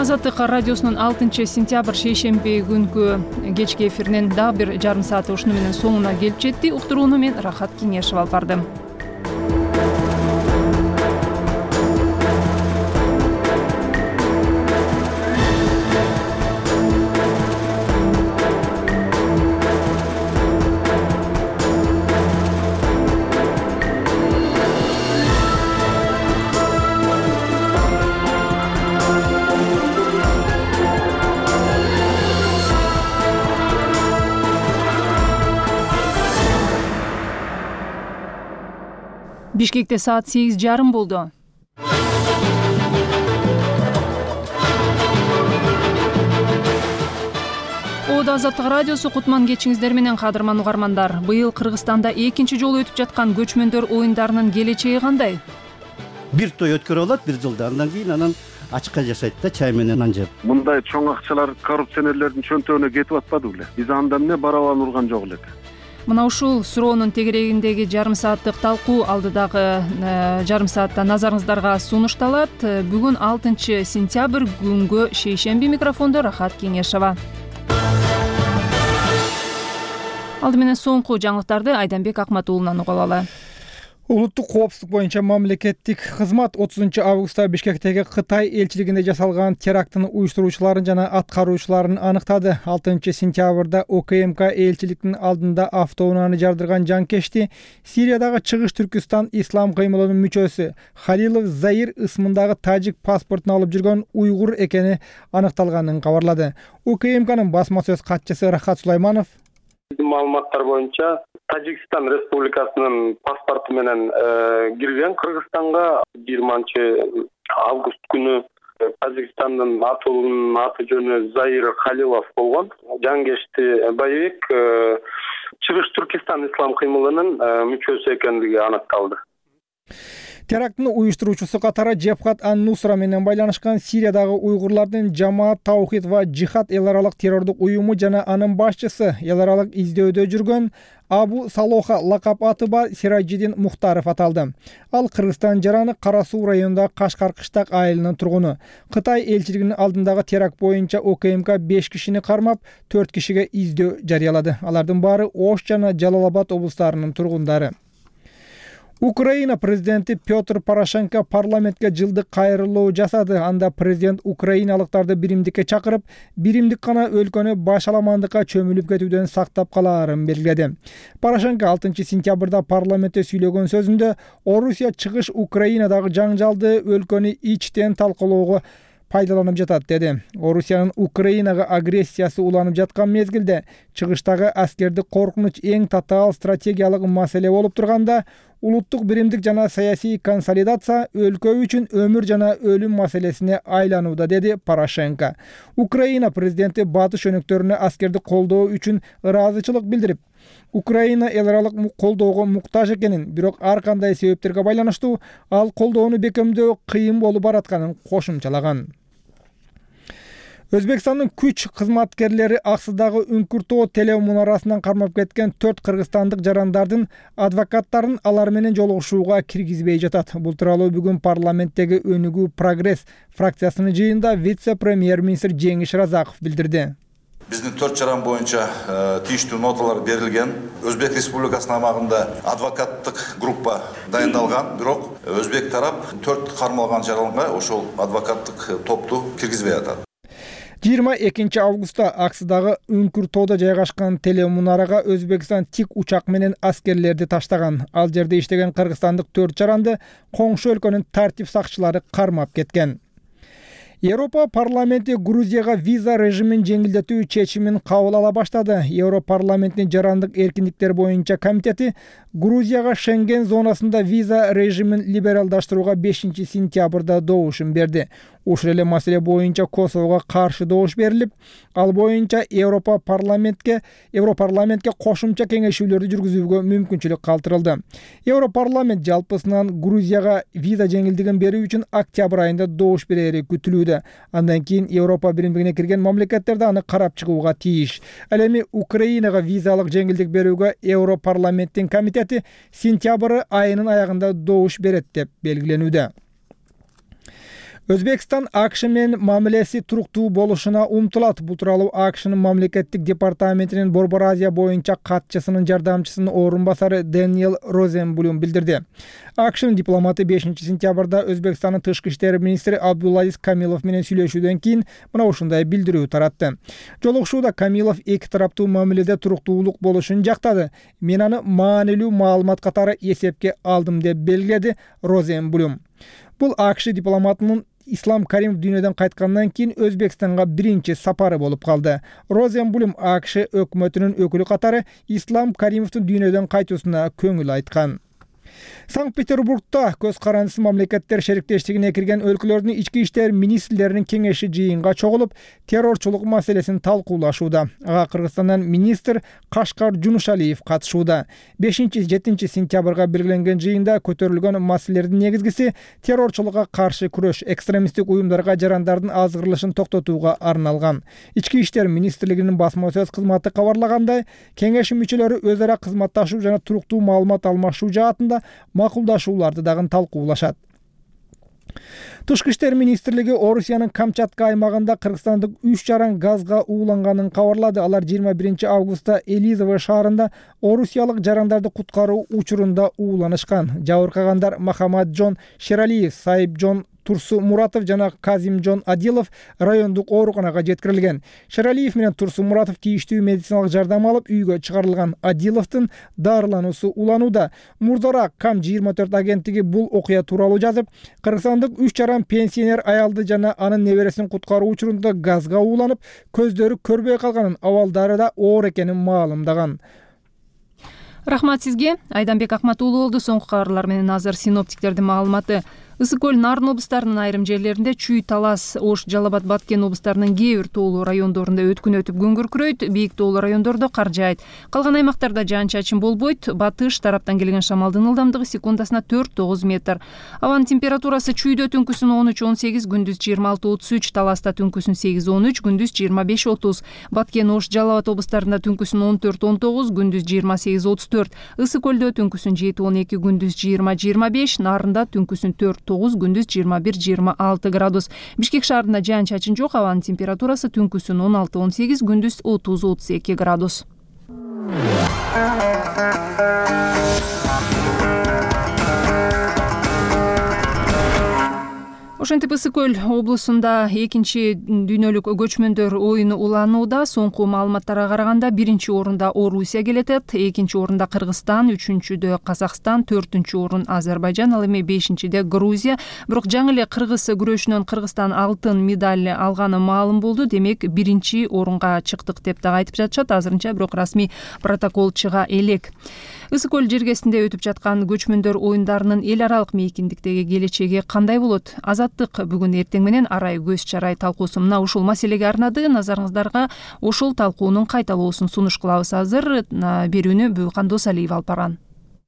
Азаттык радиосунун 6-сентябрь шейшемби күнкү кечки эфиринин дагы бир жарым сааты ушуну менен соңуна келип жетти. Уктурууну мен Рахат Кеңешев алып бардым. Бишкекте саат 8:30 болду. Ода Азаттык радиосу кутман кечиңиздер менен кадырман угармандар. Быйыл Кыргызстанда экинчи жолу өтүп жаткан көчмөндөр оюндарынын келечеги кандай? Бир той өткөрүп алат бир жылда, андан кийин анан ачыкка жашайт да, чай менен нан жеп. Мындай чоң акчалар коррупционерлердин чөнтөгүнө кетип атпады беле? Биз анда эмне барабан урган жок элек. Мына ушул суроонун тегерегиндеги жарым сааттык талкуу алдыдагы жарым саатта назарыңыздарга сунушталат. Бүгүн 6-сентябрь күнгө шейшемби, микрофондо Рахат Кеңешева. Алды менен соңку жаңылыктарды Айданбек Акматуулунан угуп алалы. Улуттук коопсуздук боюнча мамлекеттик кызмат 30 августта Бишкектеги Кытай элчилигинде жасалган терактын уюштуруучуларын жана аткаруучуларын аныктады. 6-сентябрда ОКМК элчиликтин алдында автоунааны жардырган жанкечти Сириядагы Чыгыш Түркүстан ислам кыймылынын мүчөсү Халилов Заир ысмындагы тажик паспортун алып жүргөн уйгур экени аныкталганын кабарлады. ОКМКнын басма сөз катчысы Рахат Сулайманов маалыматтар боюнча Тажикстан Республикасынын паспорту менен кирген Кыргызстанга 20 август күнү Тажикстандын атуулунун аты жөнү Заир Халилов болгон. Жангечти боевик Чыгыш Түркистан ислам кыймылынын мүчөсү экендиги аныкталды. Терактын уюштуруучусу катары Джебхат ан-Нусра менен байланышкан Сириядагы уйгурлардын Жамаат Таухид ва Джихад эл аралык террордук уюму жана анын башчысы эл аралык издөөдө жүргөн Абу Салоха лакап аты бар Сираджидин Мухтаров аталды. Ал Кыргызстан жараны Кара Суу районундагы Кашкар-Кыштак айылынын тургуну. Кытай элчилигинин алдындагы теракт боюнча ОКМК 5 кишини кармап, 4 кишиге издөө жарыялады. Алардын баары Ош жана Жалал-Абад облустарынын тургундары. Украина президенти Петр Порошенко парламентке жылдык кайрылуу жасады. Анда президент украиналыктарды биримдикке чакырып, биримдик гана өлкөнү башаламандыкка чөмүлүп кетүүдөн сактап калаарын белгиледи. Порошенко 6-сентябрда парламентте сүйлөгөн сөзүндө Орусия чыгыш Украинадагы жаңжалды өлкөнү ичтен талкалоого пайдаланып жатат деди. Орусиянын Украинага агрессиясы уланып жаткан мезгилде чыгыштагы аскердик коркунуч эң татаал стратегиялык маселе болуп турганда, улуттук биримдик жана саясий консолидация өлкө үчүн өмүр жана өлүм маселесине айланууда, деди Порошенко. Украина президенти батыш өнөктөрүнө аскерди колдоо үчүн ыраазычылык билдирип, Украина эл аралык колдоого муктаж экенин, бирок ар кандай себептерге байланыштуу ал колдоону бекемдөө кыйын болуп баратканын кошумчалаган. Өзбекстандын күч кызматкерлери Аксыдагы Үңкүртөө телемунарасынан кармап кеткен 4 кыргызстандык жарандардын адвокаттарын алар менен жолугушууга киргизбей жатат. Бул тууралуу бүгүн парламенттеги Өнүгүү Прогресс фракциясынын жыйынында вице-премьер-министр Жеңиш Разаков билдирди. Биздин 4 жаран боюнча тийиштүү ноталар берилген. Өзбек Республикасынын аймагында адвокаттык группа дайындалган, бирок өзбек тарап 4 кармалган жаранга ошол адвокаттык топту киргизбей атат. 22 августта Аксыдагы Үңкүртөөдө жайгашкан телемунарага Өзбекстан тик учак менен аскерлерди таштаган. Ал жерде иштеген кыргызстандык 4 жаранды коңшу өлкөнүн тартип сакчылары кармап кеткен. Европа парламенти Грузияга виза режимин жеңилдетүү чечимин кабыл ала баштады. Европарламенттин жарандык эркиндиктер боюнча комитети Грузияга Шенген зонасында виза режимин либералдаштырууга 5-сентябрда добушун берди. Ушул эле маселе боюнча Косового каршы добуш берилип, ал боюнча Европарламентке кошумча кеңешүүлөрдү жүргүзүүгө мүмкүнчүлүк калтырылды. Европарламент жалпысынан Грузияга виза жеңилдигин берүү үчүн октябрь айында добуш берери күтүлүүдө. Андан кийин Европа биримдигине кирген мамлекеттерде аны карап чыгууга тийиш. Ал эми Украинага визалык жеңилдик берүүгө Европарламенттин комитети сентябрь айынын аягында добуш берет деп белгиленүүдө. Өзбекстан АКШ менен мамилеси туруктуу болушуна умтулат. Бул тууралуу АКШнын мамлекеттик департаментинин Борбор Азия боюнча катчысынын жардамчысынын орун басары Дэниел Розенблюм билдирди. АКШнын дипломаты 5-сентябрда Өзбекстандын тышкы иштер министри Абдулазиз Камилов менен сүйлөшүүдөн кийин мына ушундай билдирүү таратты. Жолугушууда Камилов эки тараптуу мамиледе туруктуулук болушун жактады. Мен аны маанилүү маалымат катары эсепке алдым деп белгиледи Розенблюм. Бул АКШ дипломатынын Ислам Каримов дүйнөдөн кайткандан кийин Өзбекстанга биринчи сапары болуп калды. Розенблюм АКШ өкмөтүнүн өкүлү катары Ислам Каримовдун дүйнөдөн кайтуусуна көңүл айткан. Санкт-Петербургда көз карандысыз мамлекеттер шериктештигине кирген өлкөлөрдүн ички иштер министрлеринин кеңеши жыйынга чогулуп, террорчулук маселесин талкуулашууда. Ага Кыргызстандан министр Кашкар Жунушалиев катышууда. 5-7 сентябрга белгиленген жыйында көтөрүлгөн маселелердин негизгиси террорчулукка каршы күрөш, экстремисттик уюмдарга жарандардын азгырылышын токтотууга арналган. Ички иштер министрлигинин басма сөз кызматы кабарлагандай, кеңеш мүчөлөрү өз ара кызматташуу жана туруктуу маалымат алмашуу жаатында макулдашууларды дагы талкуулашат. Тышкы иштер министрлиги Орусиянын Камчатка аймагында кыргызстандык 3 жаран газга ууланганын кабарлады. Алар 21 августта Элизово шаарында орусиялык жарандарды куткаруу учурунда ууланышкан. Жабыркагандар Махамаджон Шералиев, Сайыпжон Турсу Муратов жана Казимжон Адилов райондук ооруканага жеткирилген. Шералиев менен Турсу Муратов тийиштүү медициналык жардам алып үйгө чыгарылган. Адиловдун дарылануусу уланууда. Мурдараак КАМ24 агенттиги бул окуя тууралуу жазып, кыргызстандык 3 жаран пенсионер аялды жана анын небересин куткаруу учурунда газга ууланып, көздөрү көрбөй калганын, абалдары да оор экенин маалымдаган. Рахмат сизге. Айданбек Акматуулу болду. Соңку кабарлар менен азыр синоптиктердин маалыматы. Ысык көл, Нарын облустарынын айрым жерлеринде, Чүй, Талас, Ош, Жалал Абад, Баткен облустарынын кээ бир тоолуу райондорунда өткүн өтүп күн күркүрөйт, бийик тоолуу райондордо кар жаайт. Калган аймактарда жаан-чачын болбойт. Батыш тараптан келген шамалдын ылдамдыгы секундасына 4-9 метр. Абанын температурасы Чүйдө түнкүсүн 13-18, күндүз 26-33, Таласта түнкүсүн 8-13, күндүз 25-30. Баткен, Ош, Жалал Абад облустарында түнкүсүн 14-19, күндүз 28-34. Ысык көлдө түнкүсүн 7-12, күндүз 20-25, Нарында түнкүсүн 4-9, күндүз 21-26 градус. Бишкек шаарында жаан-чачын жок, абанын температурасы түнкүсүн 16-18, күндүз 30-32 градус. Ошентип Ысык көл облусунда экинчи дүйнөлүк көчмөндөр оюну уланууда. Соңку маалыматтарга караганда 1-орунда Орусия келетет, 2-орунда Кыргызстан, 3-дө Казакстан, 4-орун Азербайжан, ал эми 5-де Грузия. Бирок жаңы эле кыргыз күрөшүнөн Кыргызстан алтын медаль алганы маалым болду. Демек 1-орунга чыктык деп дагы айтып жатышат. Азырынча бирок расмий протокол чыга элек. Ысык көл жергесинде өтүп жаткан көчмөндөр оюндарынын эл аралык мейкиндиктеги келечеги кандай болот? Азаттык бүгүн эртең менен арай көз чарай талкуусу мына ушул маселеге арнады. Назарыңыздарга ошол талкуунун кайталоосун сунуш кылабыз. Азыр берүүнү Бүкан Досалиев алып барган.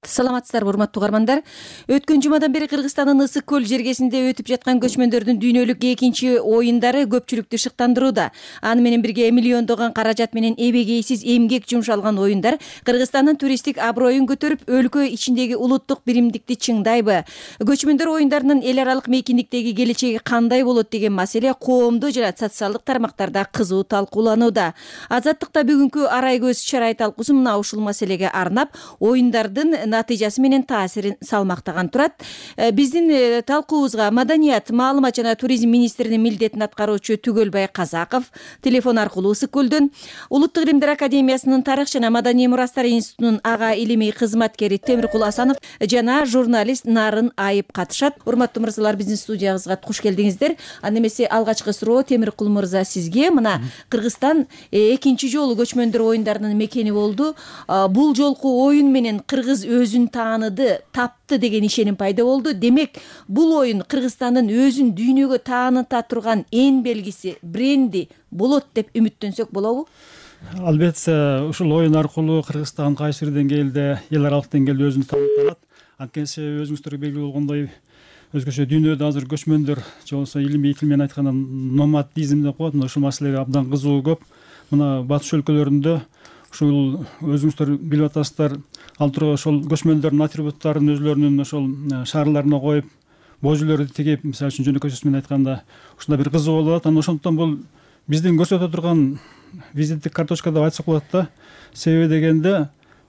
Саламатсыздарбы, урматтуу угармандар. Өткөн жумадан бери Кыргызстандын Ысык көл жергесинде өтүп жаткан көчмөндөрдүн дүйнөлүк экинчи оюндары көпчүлүктү шыктандырууда. Аны менен бирге миллиондогон каражат менен эбегейсиз эмгек жумшалган оюндар Кыргызстандын туристтик аброюн көтөрүп, өлкө ичиндеги улуттук биримдикти чыңдайбы? Көчмөндөр оюндарынын эл аралык мейкиндиктеги келечеги кандай болот деген маселе коомдук жана социалдык тармактарда кызуу талкууланууда. Азаттыкта бүгүнкү арай көз чарай талкуусу мына ушул маселеге арнап, оюндардын натыйжасы менен таасирин салмактаган турат. Биздин талкуубузга Маданият, маалымат жана туризм министринин милдетин аткаруучу Түгөлбай Казаков телефон аркылуу Ысык-Көлдөн, Улуттук илимдер академиясынын тарых жана маданий мурастар институтунун ага илимий кызматкери Темиркул Асанов жана журналист Нарын Айып катышат. Урматтуу мырзалар, биздин студиябызга куш келдиңиздер. Анда эмесе алгачкы суроо Темиркул мырза сизге. Мына Кыргызстан экинчи жолу көчмөндөр оюндарынын мекени болду. Бул жолку оюн менен кыргыз өзүн тааныды, тапты деген ишеним пайда болду. Демек, бул оюн Кыргызстандын өзүн дүйнөгө тааныта турган эн белгиси, бренди болот деп үмүттөнсөк болобу? Албетте, ушул оюн аркылуу Кыргызстан кайсы бир деңгээлде, эл аралык деңгээлде өзүн тааныта. Анткени өзүңүздөргө белгилүү болгондой, өзгөчө дүйнөдө азыр көчмөндөр же болбосо илимий тил менен айтканда номадизм деп коет. Ушул маселеге абдан кызыгуу көп. Мына батыш өлкөлөрүндө ушул өзүңүздөр билип атасыздар, ал тургу ошол көчмөндөрдүн атрибуттарын өзлөрүнүн ошол шаарларына коюп, божүлөрдү тигип, мисалы үчүн жөнөкөйчөсү менен айтканда, ушундай бир кызыгуу болуп атат. Анан ошондуктан бул биздин көрсөтө турган визиттик карточка деп айтсак болот да. Себеби дегенде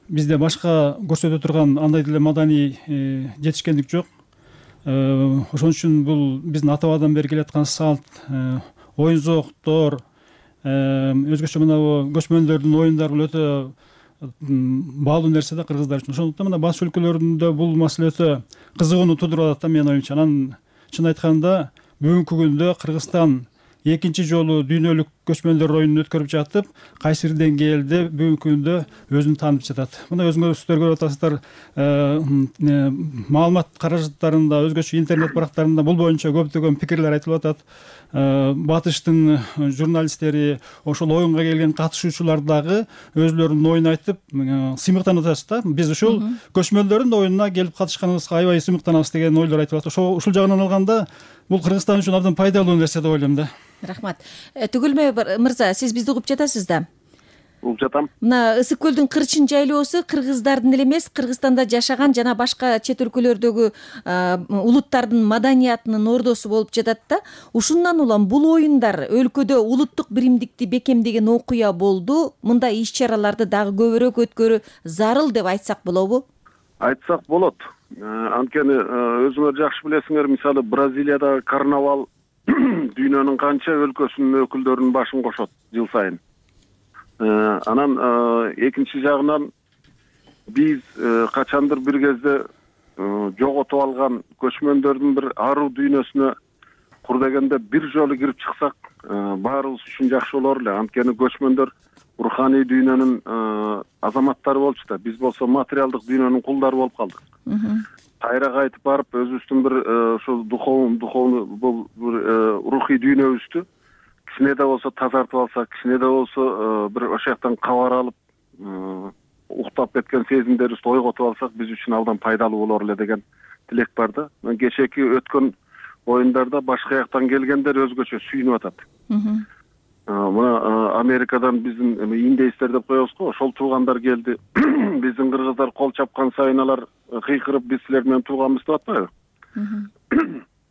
бизде башка көрсөтө турган андай деле маданий жетишкендик жок. Ошон үчүн бул биздин ата-бабадан бери келаткан салт, оюн-зооктор, өзгөчө мына көчмөндөрдүн оюндары бул өтө баалуу нерсе да кыргыздар үчүн. Ошондуктан мына батыш өлкөлөрүндө бул маселе өтө кызыгууну туудуруп атат да менин оюмча. Анан чын айтканда бүгүнкү күндө Кыргызстан экинчи жолу дүйнөлүк көчмөндөр оюнун өткөрүп жатып, кайсы бир деңгээлде бүгүнкү күндө өзүн таанып жатат. Мына өзүңүздөр көрүп атасыздар, маалымат каражаттарында, өзгөчө интернет барактарында бул боюнча көптөгөн пикирлер айтылып атат. Батыштын журналисттери, ошол оюнга келген катышуучулар дагы өзлөрүнүн оюн айтып, сыймыктанып атышат да. Биз ушул көчмөндөрдүн оюнуна келип катышканыбызга аябай сыймыктанабыз деген ойлор айтылып атат. Ушул жагынан алганда бул Кыргызстан үчүн абдан пайдалуу нерсе деп ойлойм да. Рахмат. Түгөлбай мырза, сиз бизди угуп жатасыз да? Угуп жатам. Мына Ысык-Көлдүн кырчын жайлоосу Кыргыздардын эле эмес, Кыргызстанда жашаган жана башка чет өлкөлөрдөгү улуттардын маданиятынын ордосу болуп жатат да. Ушундан улам бул оюндар өлкөдө улуттук биримдикти бекемдеген окуя болду. Мындай иш-чараларды дагы көбүрөөк өткөрүү зарыл деп айтсак болобу? Айтсак болот. Анткени өзүңөр жакшы билесиңер, мисалы Бразилиядагы карнавал дүйнөнүн канча өлкөсүнүн өкүлдөрүнүн башын кошот жыл сайын. Анан экинчи жагынан биз качандыр бир кезде жоготуп алган көчмөндөрдүн бир аруу дүйнөсүнө кур дегенде бир жолу кирип чыксак, баарыбыз үчүн жакшы болор эле. Анткени көчмөндөр руханий дүйнөнүн азаматтары болчу да, биз болсо материалдык дүйнөнүн кулдары болуп калдык. Кайра кайтып барып өзүбүздүн бир ошол духовный бул рухий дүйнөбүздү кичине да болсо тазартып алсак, кичине да болсо бир ошол жактан кабар алып, уктап кеткен сезимдерибизди ойготуп алсак, биз үчүн абдан пайдалуу болор эле деген тилек бар да. Кечээки өткөн оюндарда башка жактан келгендер өзгөчө сүйүнүп атат. Мына Америкадан биздин индейстер деп коебуз го, ошол туугандар келди. Биздин кыргыздар кол чапкан сайын алар кыйкырып, биз силер менен тууганбыз деп атпайбы?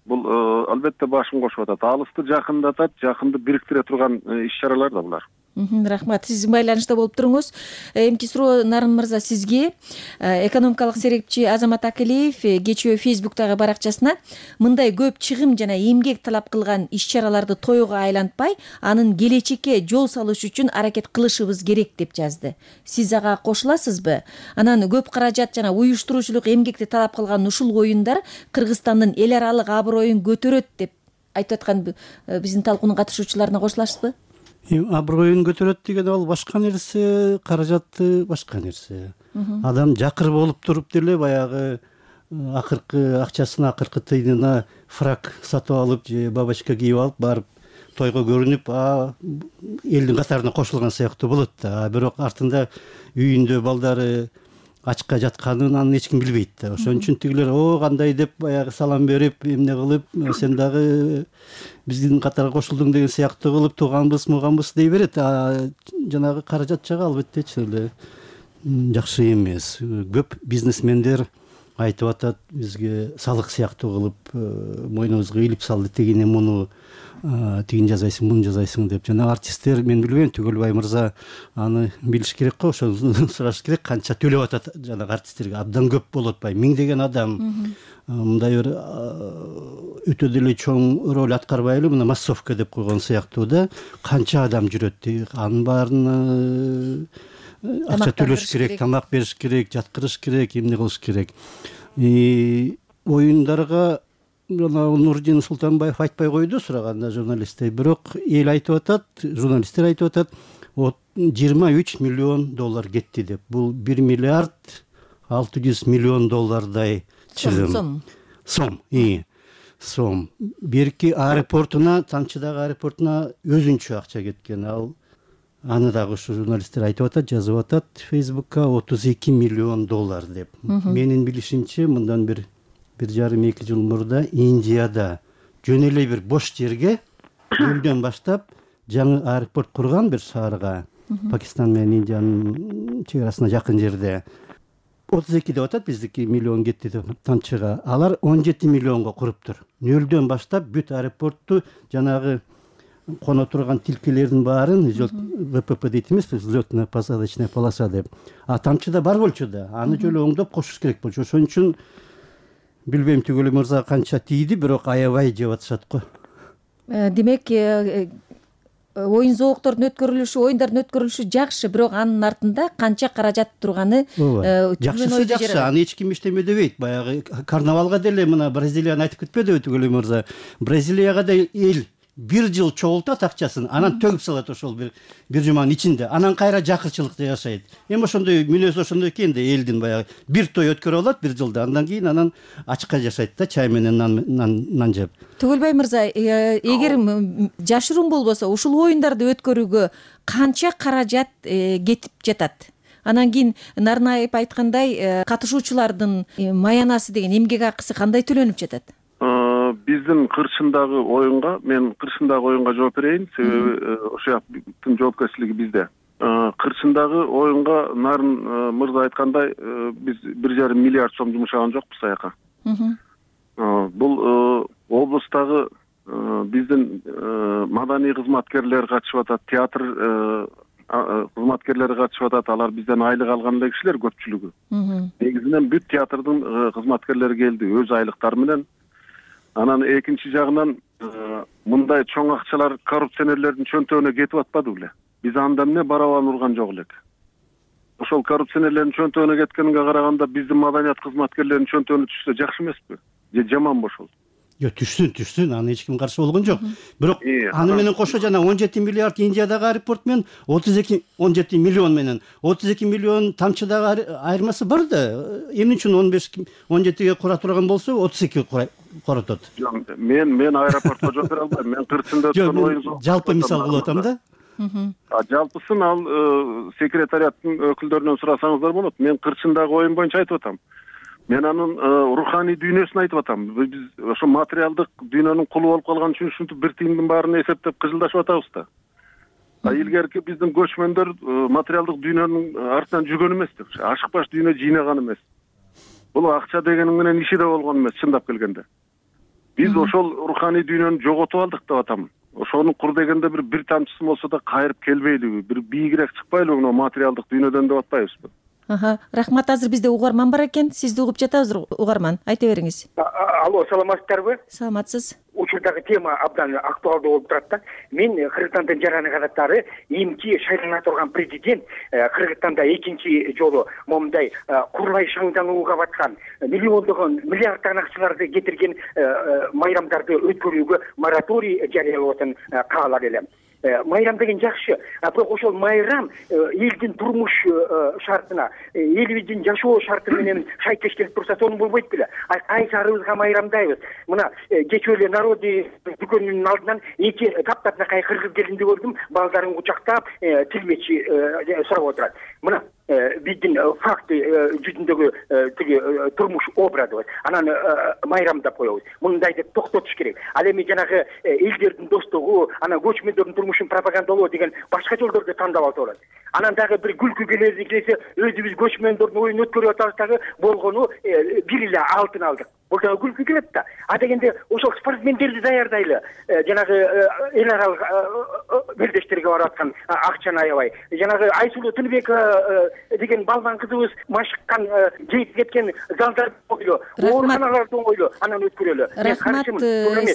Бул албетте башын кошуп атат. Алысты жакындатат, жакынды бириктире турган иш-чаралар да булар. Рахмат. Сиз байланышта болуп туруңуз. Эмки суроо Нарын мырза сизге. Экономикалык серепчи Азамат Акилиев кечээ Фейсбуктагы баракчасына мындай көп чыгым жана эмгек талап кылган иш-чараларды тоюга айлантпай, анын келечекке жол салыш үчүн аракет кылышыбыз керек деп жазды. Сиз ага кошуласызбы? Анан көп каражат жана уюштуруучулук эмгекти талап кылган ушул оюндар Кыргызстандын эл аралык аброюн көтөрөт деп айтып аткан биздин талкуунун катышуучуларына кошуласызбы? Аброюн көтөрөт деген ал башка нерсе, каражаты башка нерсе. Адам жакыр болуп туруп деле баягы акыркы акчасын, акыркы тыйынына фрак сатып алып же бабочка кийип алып барып тойго көрүнүп, элдин катарына кошулган сыяктуу болот да. Бирок артында үйүндө балдары ачка жатканын анын эч ким билбейт да. Ошон үчүн тигилер кандай деп баягы салам берип, эмне кылып, сен дагы биздин катарга кошулдуң деген сыяктуу кылып тууганбыз, муганбыз дей берет. Жанагы каражат жагы албетте эле жакшы эмес. Көп бизнесмендер айтып атат бизге салык сыяктуу кылып мойнубузга илип салды, тигини муну тигин жасайсың, муну жасайсың деп. Жана артисттер, мен билбейм, Түгөлбай мырза аны билиш керек го, ошону сураш керек, канча төлөп атат жанагы артисттерге. Абдан көп болуп атпайбы, миңдеген адам. Мындай бир өтө деле чоң роль аткарбай эле, мына массовка деп койгон сыяктуу да, канча адам жүрөт, анын баарына акча төлөш керек, тамак бериш керек, жаткырыш керек, эмне кылыш керек. Оюндарга жана Нурдин Султанбаев айтпай койду сураганда журналисттер, бирок эл айтып атат, журналисттер айтып атат, 23 миллион доллар кетти деп. Бул 1 миллиард 600 миллион доллардай чыгым. Сом. Берки аэропортуна, Тамчыдагы аэропортуна өзүнчө акча кеткен. Аны дагы ушу журналисттер айтып атат, жазып атат Facebook'ка 32 миллион доллар деп. Менин билишимче, мындан 1,5-2 жыл мурда Индияда жөн эле бир бош жерге июлдөн баштап жаңы аэропорт курган бир шаарга, Пакистан менен Индиянын чек арасына жакын жерде. 32 деп атат, биздики миллион кетти деп Тамчыга. Алар 17 миллионго куруптур. Нөлдөн баштап бүт аэропортту жанагы коно турган тилкелердин баарын ВПП дейт эмеспи, взлётно-посадочная полоса деп. Тамчыда бар болчу да, аны жолу оңдоп кошуш керек болчу. Ошон үчүн билбейм Түгөлбай мырза канча тийди, бирок аябай жеп атышат го. Демек, оюндардын өткөрүлүшү жакшы, бирок анын артында канча каражат турганы жакшысы жакшы, аны эч ким иштеме дебейт. Баягы карнавалга деле мына Бразилияны айтып кетпедиби Түгөлбай мырза? Бразилияга да эл 1 жыл чогултат акчасын, анан төгүп салат ошол бир жуманын ичинде. Анан кайра жакырчылыкта жашайт. Эми ошондой мүнөз ошондой экен да, элдин баягы бир той өткөрүп алат 1 жылда, андан кийин анан ачыкка жашайт да, чай менен нан жеп. Түгөлбай мырза, эгер жашыруун болбосо, ушул оюндарды өткөрүүгө канча каражат кетип жатат? Анан кийин Нарнаев айткандай, катышуучулардын маянасы деген эмгек акысы кандай төлөнүп жатат? Биздин кырчындагы оюнга, мен кырчындагы оюнга жооп берейин, себеби ошояктын жоопкерчилиги бизде. Кырчындагы оюнга Нарын мырза айткандай, биз 1,5 миллиард сом жумшаган жокпуз аяка. Бул облустагы биздин маданий кызматкерлер катышып атат, театр кызматкерлери катышып атат, алар бизден айлык алган эле кишилер көпчүлүгү. Негизинен бүт театрдын кызматкерлери келди өз айлыктары менен. Анан экинчи жагынан мындай чоң акчалар коррупционерлердин чөнтөгүнө кетип атпады беле? Биз анда эмне барабан урган жок элек. Ошол коррупционерлердин чөнтөгүнө кеткенге караганда биздин маданият кызматкерлеринин чөнтөгүнө түшсө жакшы эмеспи? Же жаманбы ошол? Түшсүн, аны эч ким каршы болгон жок. Бирок аны менен кошо жана 17 миллиард Индиядагы аэропорт менен 17 миллион менен 32 миллион Тамчыдагы айырмасы бар да. Эмне үчүн 17ге кура турган болсо 32 коротот. Мен аэропортко жооп бере албайм. Мен кырчында өткөн оюн жалпы мисал кылып атам да. Жалпысын ал секретариаттын өкүлдөрүнөн сурасаңыздар болот. Мен кырчындагы оюн боюнча айтып атам. Мен анын руханий дүйнөсүн айтып атам. Биз ошо материалдык дүйнөнүн кулу болуп калган үчүн ушинтип бир тыйымдын баарын эсептеп кыжылдашып атабыз да. Илгерки биздин көчмөндөр материалдык дүйнөнүн артынан жүргөн эмес, ашыкпаш дүйнө жыйнаган эмес. Бул акча дегенин менен иши да болгон эмес, чындап келгенде. Биз ошол руханий дүйнөнү жоготуп алдык деп атам. Ошону кур дегенде бир тамчысы болсо да кайрып келбейлиби, бир бийигирээк чыкпайлыбы мына материалдык дүйнөдөн деп атпайбызбы? Рахмат, азыр бизде угарман бар экен. Сизди угуп жатабыз, угарман. Айта бериңиз. Алло, саламатсыздарбы? Саламатсыз. Учурдагы тема абдан актуалдуу болуп турат да. Мен Кыргызстандын жараны кадаттары эмки шайлана турган президент Кыргызстанда экинчи жолу момундай курлай шаңданууга баткан миллиондогон миллиарддаган акчаларды кетирген майрамдарды өткөрүүгө мораторий жарыялоотун каалар элем. Майрам деген жакшы, бирок ошол майрам элдин турмуш шартына, элибиздин жашоо шарты менен шайкеш келип турса, сонун болбойт беле? Кайсы арыбызга майрамдайбыз? Мына кечээ эле Народный дүкөнүнүн алдынан эки таптакай кыргыз келинди көрдүм, балдарын кучактап, тилмечи сурап отурат. Мына биздин факты жүзүндөгү тиги турмуш образыбыз анан майрамдап коебуз. Мындай деп токтотуш керек. Ал эми жанагы элдердин достугу, анан көчмөндөрдүн турмушун пропагандалоо деген башка жолдорду тандап алса болот. Анан дагы бир күлкү келсе өзүбүз көчмөндөрдүн оюн өткөрүп атабыз дагы болгону бир эле алтын алдык. Бул дагы күлкү келет да. А дегенде ошол спортсмендерди даярдайлы. Жанагы эл аралык белдештерге барып аткан акчаны аябай. Жанагы Айсулуу Тыныбекова деген балбан кызыбыз машыккан жейип кеткен залдар ойло, ооруканаларды ойло, анан өткөрөлү. Рахмат.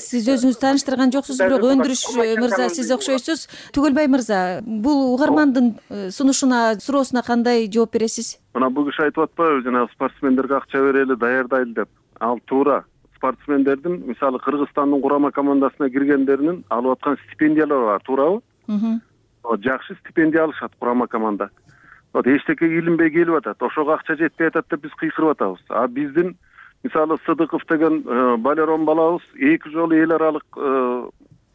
Сиз өзүңүз тааныштырган жоксуз, бирок Өндүрүш мырза сиз окшойсуз. Түгөлбай мырза, бул угармандын сунушуна, суроосуна кандай жооп бересиз? Мына бул киши айтып атпайбы, жанагы спортсмендерге акча берели, даярдайлы деп. Ал туура. Спортсмендердин, мисалы Кыргызстандын курама командасына киргендеринин алып аткан стипендиялары бар, туурабы? Жакшы стипендия алышат курама команда. Эчтеке илинбей келип атат. Ошого акча жетпей атат деп биз кыйкырып атабыз. А биздин мисалы Сыдыков деген балерон балабыз 2 жолу эл аралык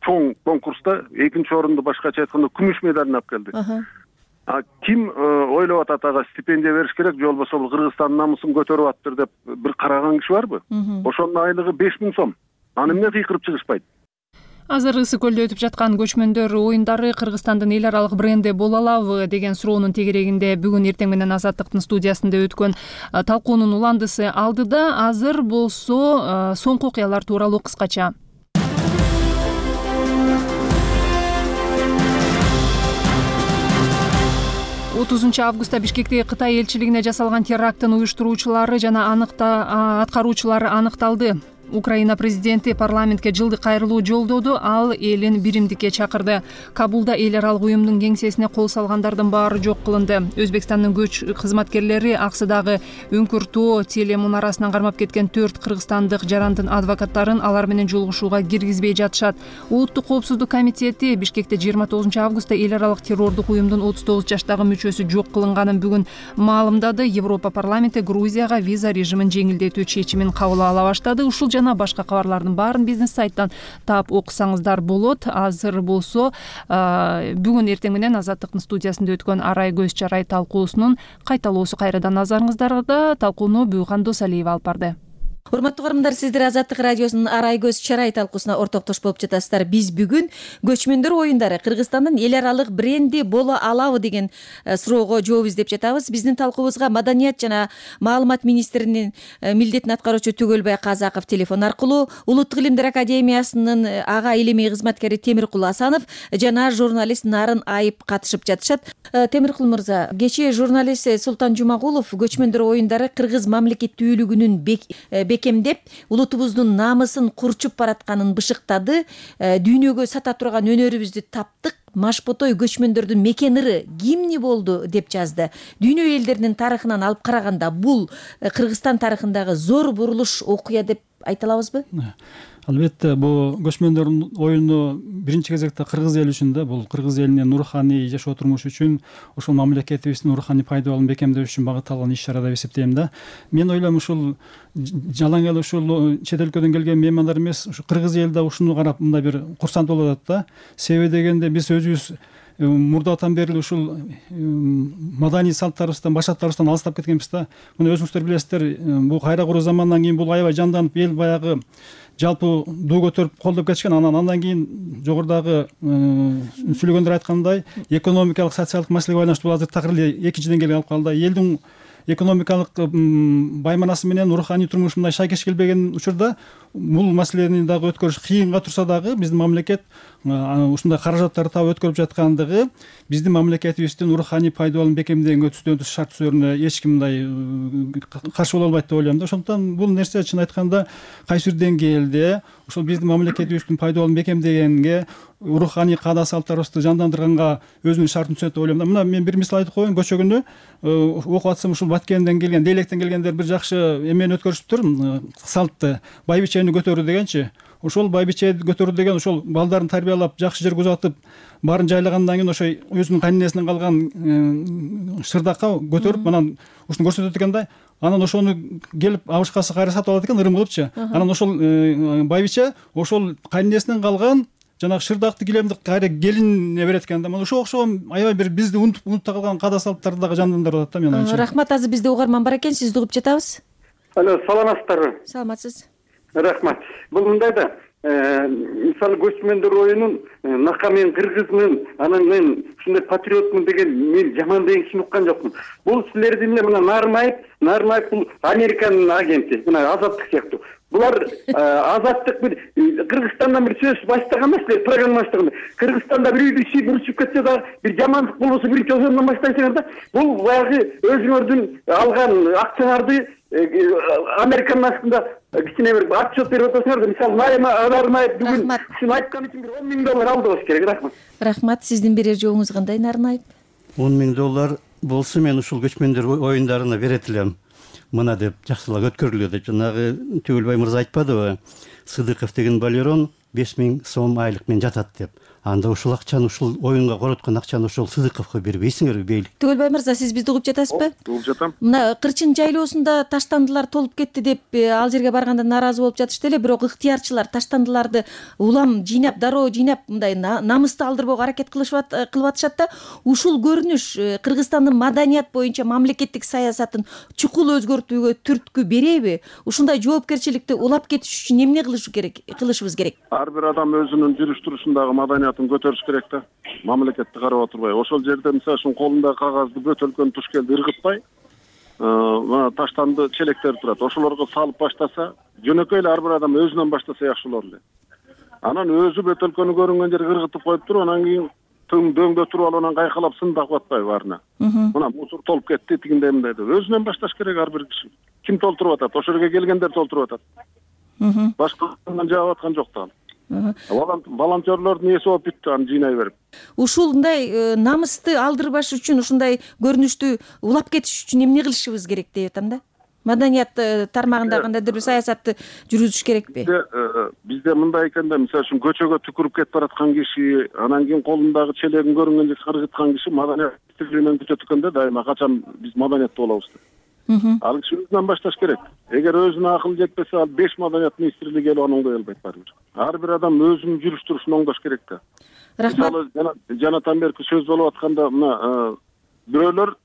чоң конкурста 2-нчи орунду, башкача айтканда күмүш медалын алып келди. А ким ойлоп атат ага стипендия бериш керек, же болбосо бул Кыргызстандын намысын көтөрүп аттыр деп бир караган киши барбы? Ошонун айлыгы 5000 сом. Аны эмне кыйкырып чыгышпайт? Азыр Ысык көлдө өтүп жаткан көчмөндөр оюндары Кыргызстандын эл аралык бренди боло алабы деген суроонун тегерегинде бүгүн эртең менен Азаттыктын студиясында өткөн талкуунун уландысы алдыда. Азыр болсо соңку окуялар тууралуу кыскача. 30 августта Бишкектеги Кытай элчилигине жасалган теракттын уюштуруучулары жана аткаруучулары аныкталды. Украина президенти парламентке жылдык кайрылуу жолдоду, ал элин биримдикке чакырды. Кабулда эл аралык уюмдун кеңсесине кол салгандардын баары жок кылынды. Өзбекстандын көч кызматкерлери Аксыдагы Үңкүр-Тоо телемунарасынан кармап кеткен 4 кыргызстандык жарандын адвокаттарын алар менен жолугушууга киргизбей жатышат. Улуттук коопсуздук комитети Бишкекте 29 августта эл аралык террордук уюмдун 39 жаштагы мүчөсү жок кылынганын бүгүн маалымдады. Европа парламенти Грузияга виза режимин жеңилдетүү чечимин кабыл ала баштады. Ушул жана башка кабарлардын баарын бизнес сайттан таап окусаңыздар болот. Азыр болсо бүгүн эртең менен Азаттыктын студиясында өткөн Арай көз чарай талкуусунун кайталоосу кайрадан назарыңыздарда. Талкууну Буйган Досалиева алып барды. Урматтуу угармандар, сиздер Азаттык радиосунун Арай көз чарай талкуусуна ортоктош болуп жатасыздар. Биз бүгүн көчмөндөр оюндары Кыргызстандын эл аралык бренди боло алабы деген суроого жооп издеп жатабыз. Биздин талкуубузга Маданият жана маалымат министринин милдетин аткаруучу Түгөлбай Казаков телефон аркылуу, Улуттук илимдер академиясынын ага илимий кызматкери Темиркул Асанов жана журналист Нарын Айып катышып жатышат. Темиркул мырза, кечээ журналист Султан Жумагулов көчмөндөр оюндары кыргыз мамлекеттүүлүгүнүн бекемдеп, улутубуздун намысын курчуп баратканын бышыктады. Дүйнөгө сата турган өнөрүбүздү таптык. Машботой көчмөндөрдүн мекен ыры кимни болду деп жазды. Дүйнө элдеринин тарыхынан алып караганда бул Кыргызстан тарыхындагы зор бурулуш окуя деп айта алабызбы? Албетте, бул көчмөндөр оюну биринчи кезекте кыргыз эли үчүн да, бул кыргыз элинин руханий жашоо турмушу үчүн, ошол мамлекетибиздин руханий пайдаланууну бекемдөө үчүн багытталган иш-чара деп эсептейм да. Мен ойлойм, ушул жалаң эле ушул чет өлкөдөн келген меймандар эмес, ушу кыргыз эли да ушуну карап мындай бир курсант болуп атат да. Себеби дегенде биз өзүбүз мурдатан бери ушул маданий салттарыбыздан, башаттарыбыздан алыстап кеткенбиз да. Муну өзүңүздөр билесиздер, бул кайра куруу заманынан кийин бул аябай жанданып, эл баягы жалпы дуу көтөрүп колдоп кетишкен. Андан кийин жогорудагы сүйлөгөндөр айткандай, экономикалык, социалдык маселеге байланыштуу азыр такыр эле экинчиден келип алып калды. Элдин экономикалык байманасы менен руханий турмушу мындай шайкеш келбеген учурда бул маселени дагы өткөрүш кыйынга турса дагы биздин мамлекет ушундай каражаттарды таап өткөрүп жаткандыгы биздин мамлекетибиздин руханий пайдаланууну бекемдегенге түздөн-түз шарт сөөрүнө эч ким мындай каршы боло албайт деп ойлойм да. Ошондуктан бул нерсе чын айтканда кайсы бир деңгээлде ушул биздин мамлекетибиздин пайдаланууну бекемдегенге, руханий каада салттарыбызды жандандырганга өзүнүн шартын түзөт деп ойлойм да. Мына мен бир мисал айтып коеюн. Кечээ күнү окуп атсам, ушул Баткенден келген, Дейлектен келгендер бир жакшы эмени өткөрүшүптүр, салтты. Байбичени көтөрүү дегенчи. Ошол байбичени көтөрүү деген ошол балдарын тарбиялап, жакшы жерге узатып, баарын жайлагандан кийин ошо өзүнүн кайненесинен калган шырдакка көтөрүп, анан ушуну көрсөтөт экен да. Анан ошону келип абышкасы кайра сатып алат экен, ырым кылыпчы. Анан ошол байбиче ошол кайненесинен калган жанагы шырдакты килемди кайра келинине берет экен да. Мына ошого окшогон аябай бир бизди унутта калган када салттарды дагы жандандырып атат да менин оюмча. Рахмат, азыр бизде угарман бар экен, сизди угуп жатабыз. Алло, саламатсыздарбы? Саламатсыз. Рахмат. Бул мындай да, мисалы көчмөндөр оюнун нака мен кыргызмын, анан мен ушундай патриотмун деген мен жаман деген кишини уккан жокмун. Бул силердин эле мына Нармаев бул Американын агенти, мына Азаттык сыяктуу. Булар Азаттык бир Кыргызстандан бир сөз баштаган эмес, силер программа баштаганда. Кыргызстанда бир үйдү иши бурчуп кетсе да, бир жамандык болбосо биринчи ошондон баштайсыңар да. Бул баягы өзүңөрдүн алган акчаңарды Американын астында кичине бир отчет берип атасыңар да. Мисалы Нармаев бүгүн ушуну айткан үчүн бир $10,000 алды болуш керек. Рахмат. Рахмат, сиздин берер жообуңуз кандай, Нармаев? $10,000 болсо мен ушул көчмөндөр оюндарына берет элем. Мына деп жакшылап өткөрүлүyor деп жанагы Түгөлбай мырза айтпадыбы? Сыдыков деген балерон 5,000 сом айлык менен жатат деп. Анда ушул акчаны, ушул оюнга короткон акчаны ошол Сыдыковго бербейсиңерби бейлик? Түгөлбай мырза, сиз бизди угуп жатасызбы? Угуп жатам. Мына Кырчын жайлоосунда таштандылар толуп кетти деп ал жерге барганда нааразы болуп жатышты эле, бирок ыктыярчылар таштандыларды улам жыйнап, дароо жыйнап, мындай намысты алдырбоого аракет кылып атышат да. Ушул көрүнүш Кыргызстандын маданият боюнча мамлекеттик саясатын чукул өзгөртүүгө түрткү береби? Ушундай жоопкерчиликти улап кетиш үчүн эмне кылышыбыз керек? Ар бир адам өзүнүн жүрүш турушундагы маданиятын көтөрүш керек да. Мамлекетти карап отурбай, ошол жерде мисалы үчүн колундагы кагазды бөтөлкөнү тушкелди ыргытпай, таштанды челектер турат. Ошолорго салып баштаса, жөнөкөй эле ар бир адам өзүнөн баштаса жакшы болор эле. Анан өзү бөтөлкөнү көрүнгөн жерге ыргытып коюп туруп, анан кийин дөңдө туруп алып анан кайкалап сындап атпайбы баарына. Мына мусор толуп кетти, тигиндей мындай деп. Өзүнөн башташ керек ар бир киши. Ким толтуруп атат? Ошол жерге келгендер толтуруп атат. Башкадан жаап аткан жок да. Волонтерлордун эси болуп бүттү, аны жыйнай берип. Ушундай намысты алдырбаш үчүн, ушундай көрүнүштү улап кетиш үчүн эмне кылышыбыз керек деп атам да. Маданият тармагында кандайдыр бир саясатты жүргүзүш керекпи? Бизде мындай экен да, мисалы үчүн көчөгө түкүрүп кетип бараткан киши, анан кийин колундагы челегин көрүнгөн жерге кыргыткан киши маданият министрлигинен күтөт экен да, дайыма качан биз маданиятты болобуз деп. Ал киши өзүнөн башташ керек. Эгер өзүнө акыл жетпесе, ал 5 маданият министрлиги келип аны оңдой албайт баарыбир. Ар бир адам өзүнүн жүрүш турушун оңдош керек да. Мисалы жанатан берки сөз болуп атканда, мына бирөөлөр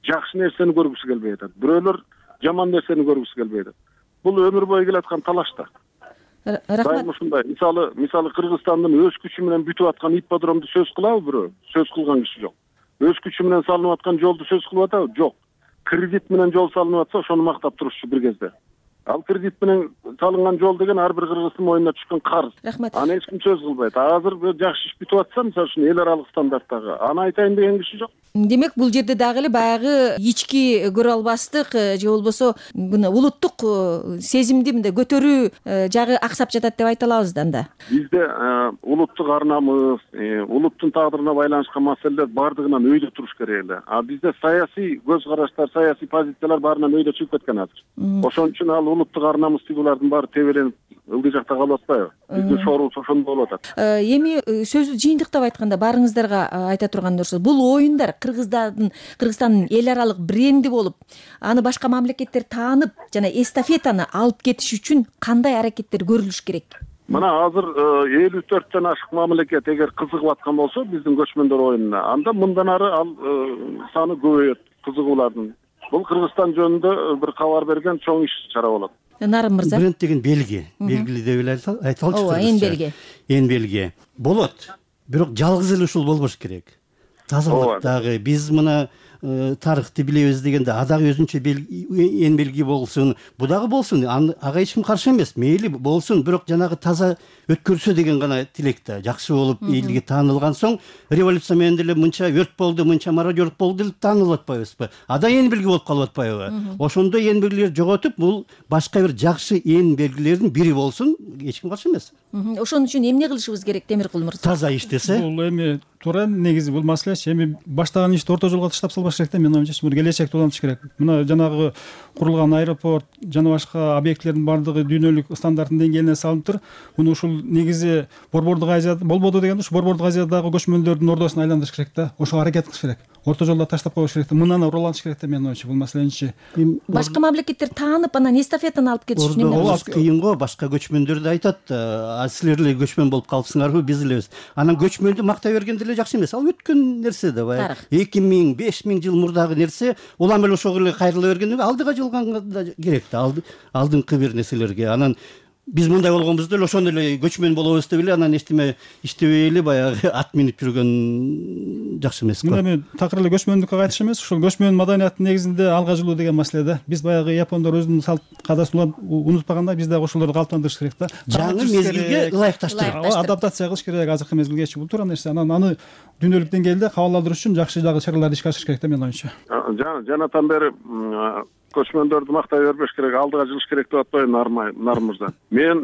жакшы нерсени көргүсү келбей атат, бирөөлөр жаман нерсени көргүсү келбей атат. Бул өмүр бою келаткан талаш да. Рахмат. Ушундай. Мисалы Кыргызстандын өз күчү менен бүтүп аткан ипподромду сөз кылабы бирөө? Сөз кылган киши жок. Өз күчү менен салынып аткан жолду сөз кылып атабы? Жок. Кредит менен жол салынып атса, ошону мактап турушчу бир кезде. Ал кредит менен салынган жол деген ар бир кыргыздын мойнуна түшкөн карыз. Рахмат. Аны эч ким сөз кылбайт. Азыр жакшы иш бүтүп атса, мисалы үчүн эл аралык стандарттагы, аны айтайын деген киши жок. Демек, бул жерде дагы эле баягы ички көрө албастык же болбосо мына улуттук сезимди мындай көтөрүү жагы аксап жатат деп айта алабыз да анда. Бизде улуттук ар намыс, улуттун тагдырына байланышкан маселелер бардыгынан өйдө туруш керек эле. А бизде саясий көз караштар, саясий позициялар баарынан өйдө чыгып кеткен азыр. Ошон үчүн ал улуттук ар намыс тигулардын баары тебеленип ылдый жакта калып атпайбы? Биздин шоорубуз ошондой болуп атат. Эми сөздү жыйынтыктап айтканда баарыңыздарга айта турган нерсе, бул оюндар Кыргызстандын эл аралык бренди болуп, аны башка мамлекеттер таанып жана эстафетаны алып кетиш үчүн кандай аракеттер көрүлүш керек? Мына азыр 54төн ашык мамлекет эгер кызыгып аткан болсо биздин көчмөндөр оюнуна, анда мындан ары ал саны көбөйөт, кызыгуулардын. Бул Кыргызстан жөнүндө бир кабар берген чоң иш чара болот. Нарым мырза. Бренд деген белги, белгилүү деп эле айталычы. Ооба, эң белги. Эң белги. Болот. Бирок жалгыз эле ушул болбош керек. Тазалыктагы биз мына тарыхты билебиз дегенде адагы өзүнчө эң белги болсун, бу дагы болсун, ага эч ким каршы эмес, мейли болсун, бирок жанагы таза өткөрсө деген гана тилек да. Жакшы болуп элге таанылган соң, революция менен деле мынча өрт болду, мынча мародёрлук болду деп таанылып атпайбызбы? Ада эң белги болуп калып атпайбы? Ошондой эң белгилерди жоготуп, бул башка бир жакшы эң белгилердин бири болсун, эч ким каршы эмес. Ошон үчүн эмне кылышыбыз керек, Темиркул мырза? Таза иштесе. Бул эми туура негизи бул маселе эми баштаган ишти орто жолго таштап салбаш керек да, менин оюмча. Бул келечекти улантыш керек. Мына жанагы курулган аэропорт жана башка объектилердин бардыгы дүйнөлүк стандарттын деңгээлине салынып тур. Муну ушул негизи Борбордук Азия болбоду дегенде, ушу Борбордук Азиядагы көчмөндөрдүн ордосуна айландырыш керек да. Ошого аракет кылыш керек. орто жолдо таштап коюш керек да, мындан ураланыш керек да менин оюмча бул маселеничи. Башка мамлекеттер таанып анан эстафетаны алып кетиши кыйын го, башка көчмөндөр да айтат, силер эле көчмөн болуп калыпсыңарбы, биз элебиз. Анан көчмөндү мактай берген деле жакшы эмес. Ал өткөн нерсе да, баягы 2000, 5000 жыл мурдагы нерсе, улам эле ошого эле кайрыла бергенде алдыга жылганга да керек да, алдыңкы бир нерселерге. Анан биз мындай болгонбузда эле ошондо эле көчмөн болобуз деп эле анан эчтеме иштебей эле баягы ат минип жүргөн жакшы эмес го. Мына мен такыр эле көчмөндүккө кайтыш эмес, ушул көчмөн маданиятынын негизинде алга жылуу деген маселе да. Биз баягы япондор өзүнүн салт кадасын унутпагандай, биз дагы ошолорду калыптандырыш керек да. Жаңы мезгилге ылайыкташтырып адаптация кылыш керек, азыркы мезгилгечи. Бул туура нерсе. Анан аны дүйнөлүк деңгээлде кабыл алдырыш үчүн жакшы дагы чараларды ишке ашырыш керек да менин оюмча. Жанатан бери көчмөндөрдү мактай бербеш керек, алдыга жылыш керек деп атпайбы Нар мырза. Мен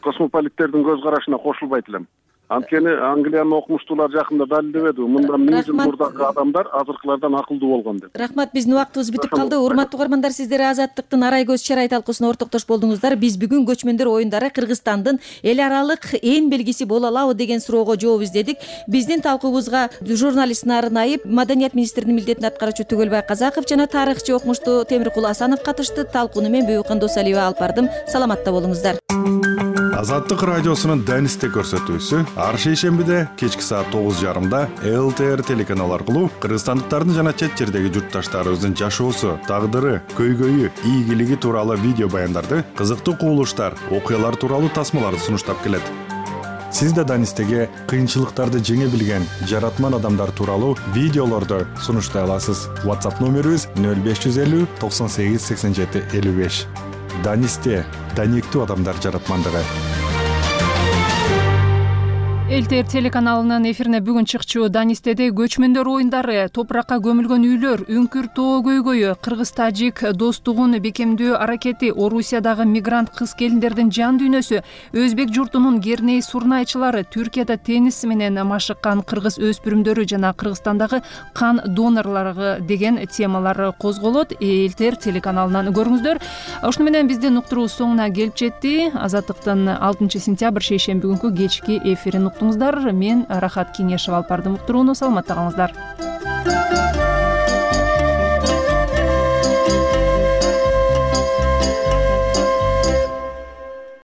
космополиттердин көз карашына кошулбайт элем. Анткени Англиянын окумуштуулары жакында далилдебеди, мындан 1000 жыл мурдагы адамдар азыркылардан акылдуу болгон деп. Рахмат, биздин убактыбыз бүтүп калды. Урматтуу угармандар, сиздер Азаттыктын Арай көз чарай талкуусуна ортоктош болдуңуздар. Биз бүгүн көчмөндөр оюндары Кыргызстандын эл аралык эң белгиси боло алабы деген суроого жооп издедик. Биздин талкуубузга журналист Нарын Айып, Маданият министринин милдетин аткаруучу Түгөлбай Казаков жана тарыхчы окумуштуу Темиркул Асанов катышты. Талкууну мен Бүйүккан Досалиева алып бардым. Саламатта болуңуздар. Азаттык радиосунун Данисте көрсөтүүсү ар шейшембиде кечки саат 9:30 ЛТР телеканалы аркылуу кыргызстандыктардын жана чет жердеги журтташтарыбыздын жашоосу, тагдыры, көйгөйү, ийгилиги тууралуу видео баяндарды, кызыктуу кубулуштар, окуялар тууралуу тасмаларды сунуштап келет. Сиз да Данистеге кыйынчылыктарды жеңе билген жаратман адамдар тууралуу видеолорду сунуштай аласыз. WhatsApp номерибиз 0550 98 87 55. Данисте даниктүү адамдар жаратмандыгы. ЛТР телеканалынын эфирине бүгүн чыкчу Данистеде көчмөндөр оюндары, топуракка көмүлгөн үйлөр, үңкүр тоо көйгөйү, кыргыз-тажик достугун бекемдөө аракети, Орусиядагы мигрант кыз-келиндердин жан дүйнөсү, өзбек журтунун керней сурнайчылары, Түркияда теннис менен машыккан кыргыз өспүрүмдөрү жана Кыргызстандагы кан донорлору деген темалар козголот. ЛТР телеканалынан көрүңүздөр. Ошону менен биздин уктуруу соңуна келип жетти. Азаттыктын 6 сентябрь шейшемби күнкү кечки эфирин уктуңуздар. Мен Рахат Кеңешева алып бардым уктурууну. Саламатта калыңыздар.